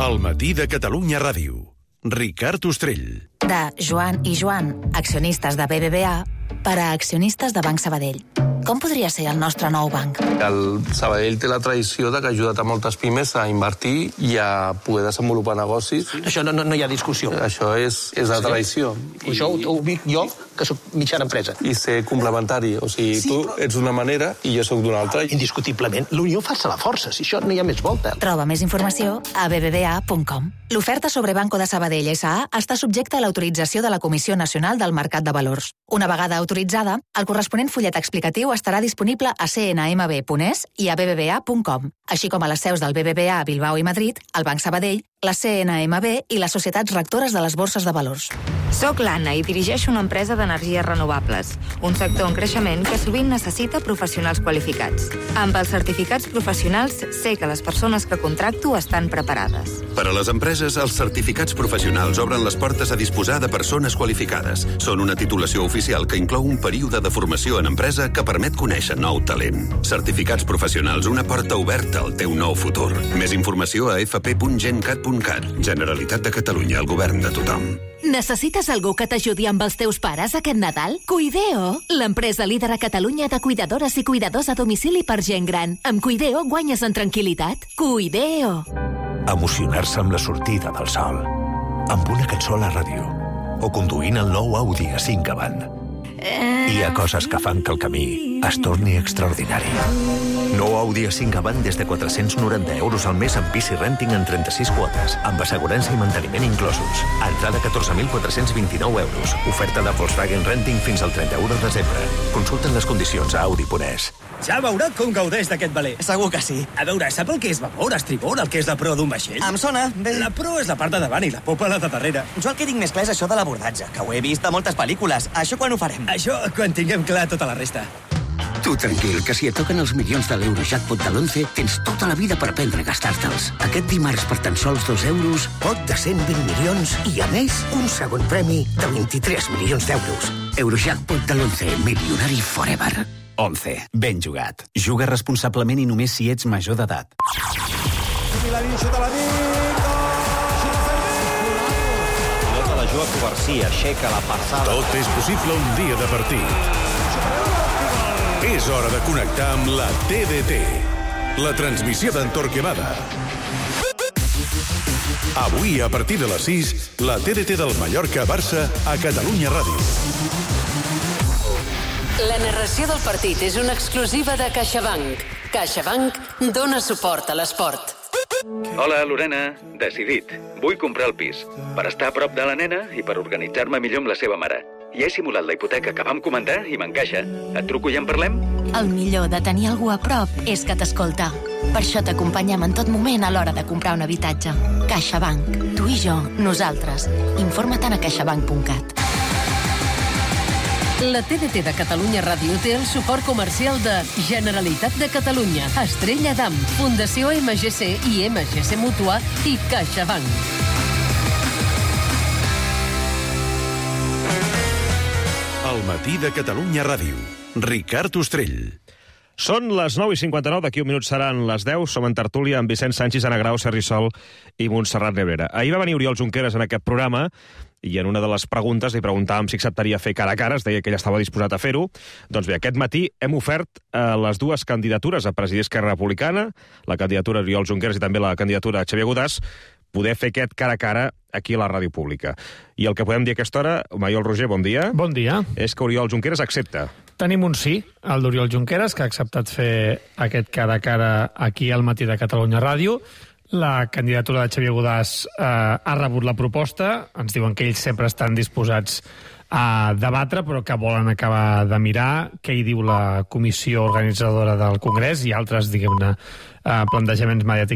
El matí de Catalunya Ràdio. Ricard Ostrell. De Joan i Joan, accionistes de B B V A, per a accionistes de Banc Sabadell. Com podria ser el nostre nou banc? El Sabadell té la tradició de que ha ajudat a moltes pimes a invertir i a poder desenvolupar negocis. Això no, no, no hi ha discussió. Això és, és la tradició. I això ho, ho dic jo, que sóc mitjana empresa. I ser complementari. O sigui, sí, tu però... ets d'una manera i jo sóc d'una altra. Indiscutiblement, l'unió fa la força. Si això no hi ha més volta. Troba més informació a b b v a punt com. L'oferta sobre Banco de Sabadell S A està subjecta a l'autorització de la Comissió Nacional del Mercat de Valors. Una vegada autoritzada, el corresponent fullet explicatiu estarà disponible a c n m b punt e s i a b b v a punt com, així com a les seus del B B V A a Bilbao i Madrid, el Banc Sabadell, la C N M B i les societats rectores de les borses de valors. Soc l'Anna i dirigeixo una empresa d'energies renovables, un sector en creixement que sovint necessita professionals qualificats. Amb els certificats professionals sé que les persones que contracto estan preparades. Per a les empreses, els certificats professionals obren les portes a disposar de persones qualificades. Són una titulació oficial que inclou un període de formació en empresa que permet conèixer nou talent. Certificats professionals, una porta oberta al teu nou futur. Més informació a f p punt gencat punt cat. Generalitat de Catalunya, el govern de tothom. Necessites algú que t'ajudi amb els teus pares aquest Nadal? Cuideo, l'empresa líder a Catalunya de cuidadores i cuidadors a domicili per gent gran. Amb Cuideo guanyes en tranquil·litat. Cuideo. Emocionar-se amb la sortida del sol, amb una cançó a la ràdio, o conduint el nou Audi A cinc avant. Hi ha coses que fan que el camí es torni extraordinari. Nou Audi A cinc avant des de quatre-cents noranta euros al mes amb Bici Renting en trenta-sis quotes, amb assegurança i manteniment inclosos. Entrada catorze mil quatre-cents vint-i-nou euros. Oferta de Volkswagen Renting fins al trenta-u de desembre. Consulten les condicions a audi punt e s. Ja veurà com gaudeix d'aquest valer. Segur que sí. A veure, sap el que és vapor, estribor, el que és la proa d'un vaixell? Em sona. Bé. La proa és la part de davant i la popa la de darrere. Jo el que tinc més clar és això de l'abordatge, que ho he vist a moltes pel·lícules. Això quan ho farem? Això quan tinguem clar tota la resta. Tu tranquil, que si et toquen els milions de l'Eurojackpot de l'onze, tens tota la vida per aprendre a gastar-te'ls. Aquest dimarts, per tan sols dos euros, pot de cent vint milions i, a més, un segon premi de vint-i-tres milions d'euros. Eurojackpot de l'onze, milionari forever. onze. Ben jugat. Juga responsablement i només si ets major d'edat. Milanín xuta la nit. Pilota la juga Covarsí, aixeca la passada. Tot és possible un dia de partit. És hora de connectar amb la T D T, la transmissió d'en Torquemada. Avui, a partir de les sis, la T D T del Mallorca-Barça a Catalunya Ràdio. La narració del partit és una exclusiva de CaixaBank. CaixaBank dona suport a l'esport. Hola, Lorena. Decidit. Vull comprar el pis. Per estar a prop de la nena i per organitzar-me millor amb la seva mare. Ja he simulat la hipoteca que vam comentar i m'encaixa. Et truco i en parlem? El millor de tenir algú a prop és que t'escolta. Per això t'acompanyem en tot moment a l'hora de comprar un habitatge. CaixaBank. Tu i jo, nosaltres. Informa't a caixabank punt cat. La T D T de Catalunya Ràdio té el suport comercial de Generalitat de Catalunya, Estrella Damm, Fundació M G C i M G C Mútua i CaixaBank. El matí de Catalunya Ràdio. Ricard Ostrell. Són les nou i cinquanta-nou, d'aquí un minut seran les deu. Som en tertúlia amb Vicent Sanchis, Anna Grau, Sergi Sol i Montserrat Nebrera. Ahir va venir Oriol Junqueras en aquest programa i en una de les preguntes li preguntàvem si acceptaria fer cara a cara, es deia que ell estava disposat a fer-ho. Doncs bé, aquest matí hem ofert eh, les dues candidatures a presidir Esquerra Republicana, la candidatura d'Oriol Junqueras i també la candidatura de Xavier Godàs, poder fer aquest cara a cara aquí a la ràdio pública. I el que podem dir a aquesta hora, Maiol Roger, bon dia. Bon dia. És que Oriol Junqueras accepta. Tenim un sí, el d'Oriol Junqueras, que ha acceptat fer aquest cara a cara aquí al matí de Catalunya Ràdio. La candidatura de Xavier Godàs eh, ha rebut la proposta. Ens diuen que ells sempre estan disposats a debatre, però que volen acabar de mirar què hi diu la comissió organitzadora del Congrés i altres, diguem-ne, eh, plantejaments mediàtics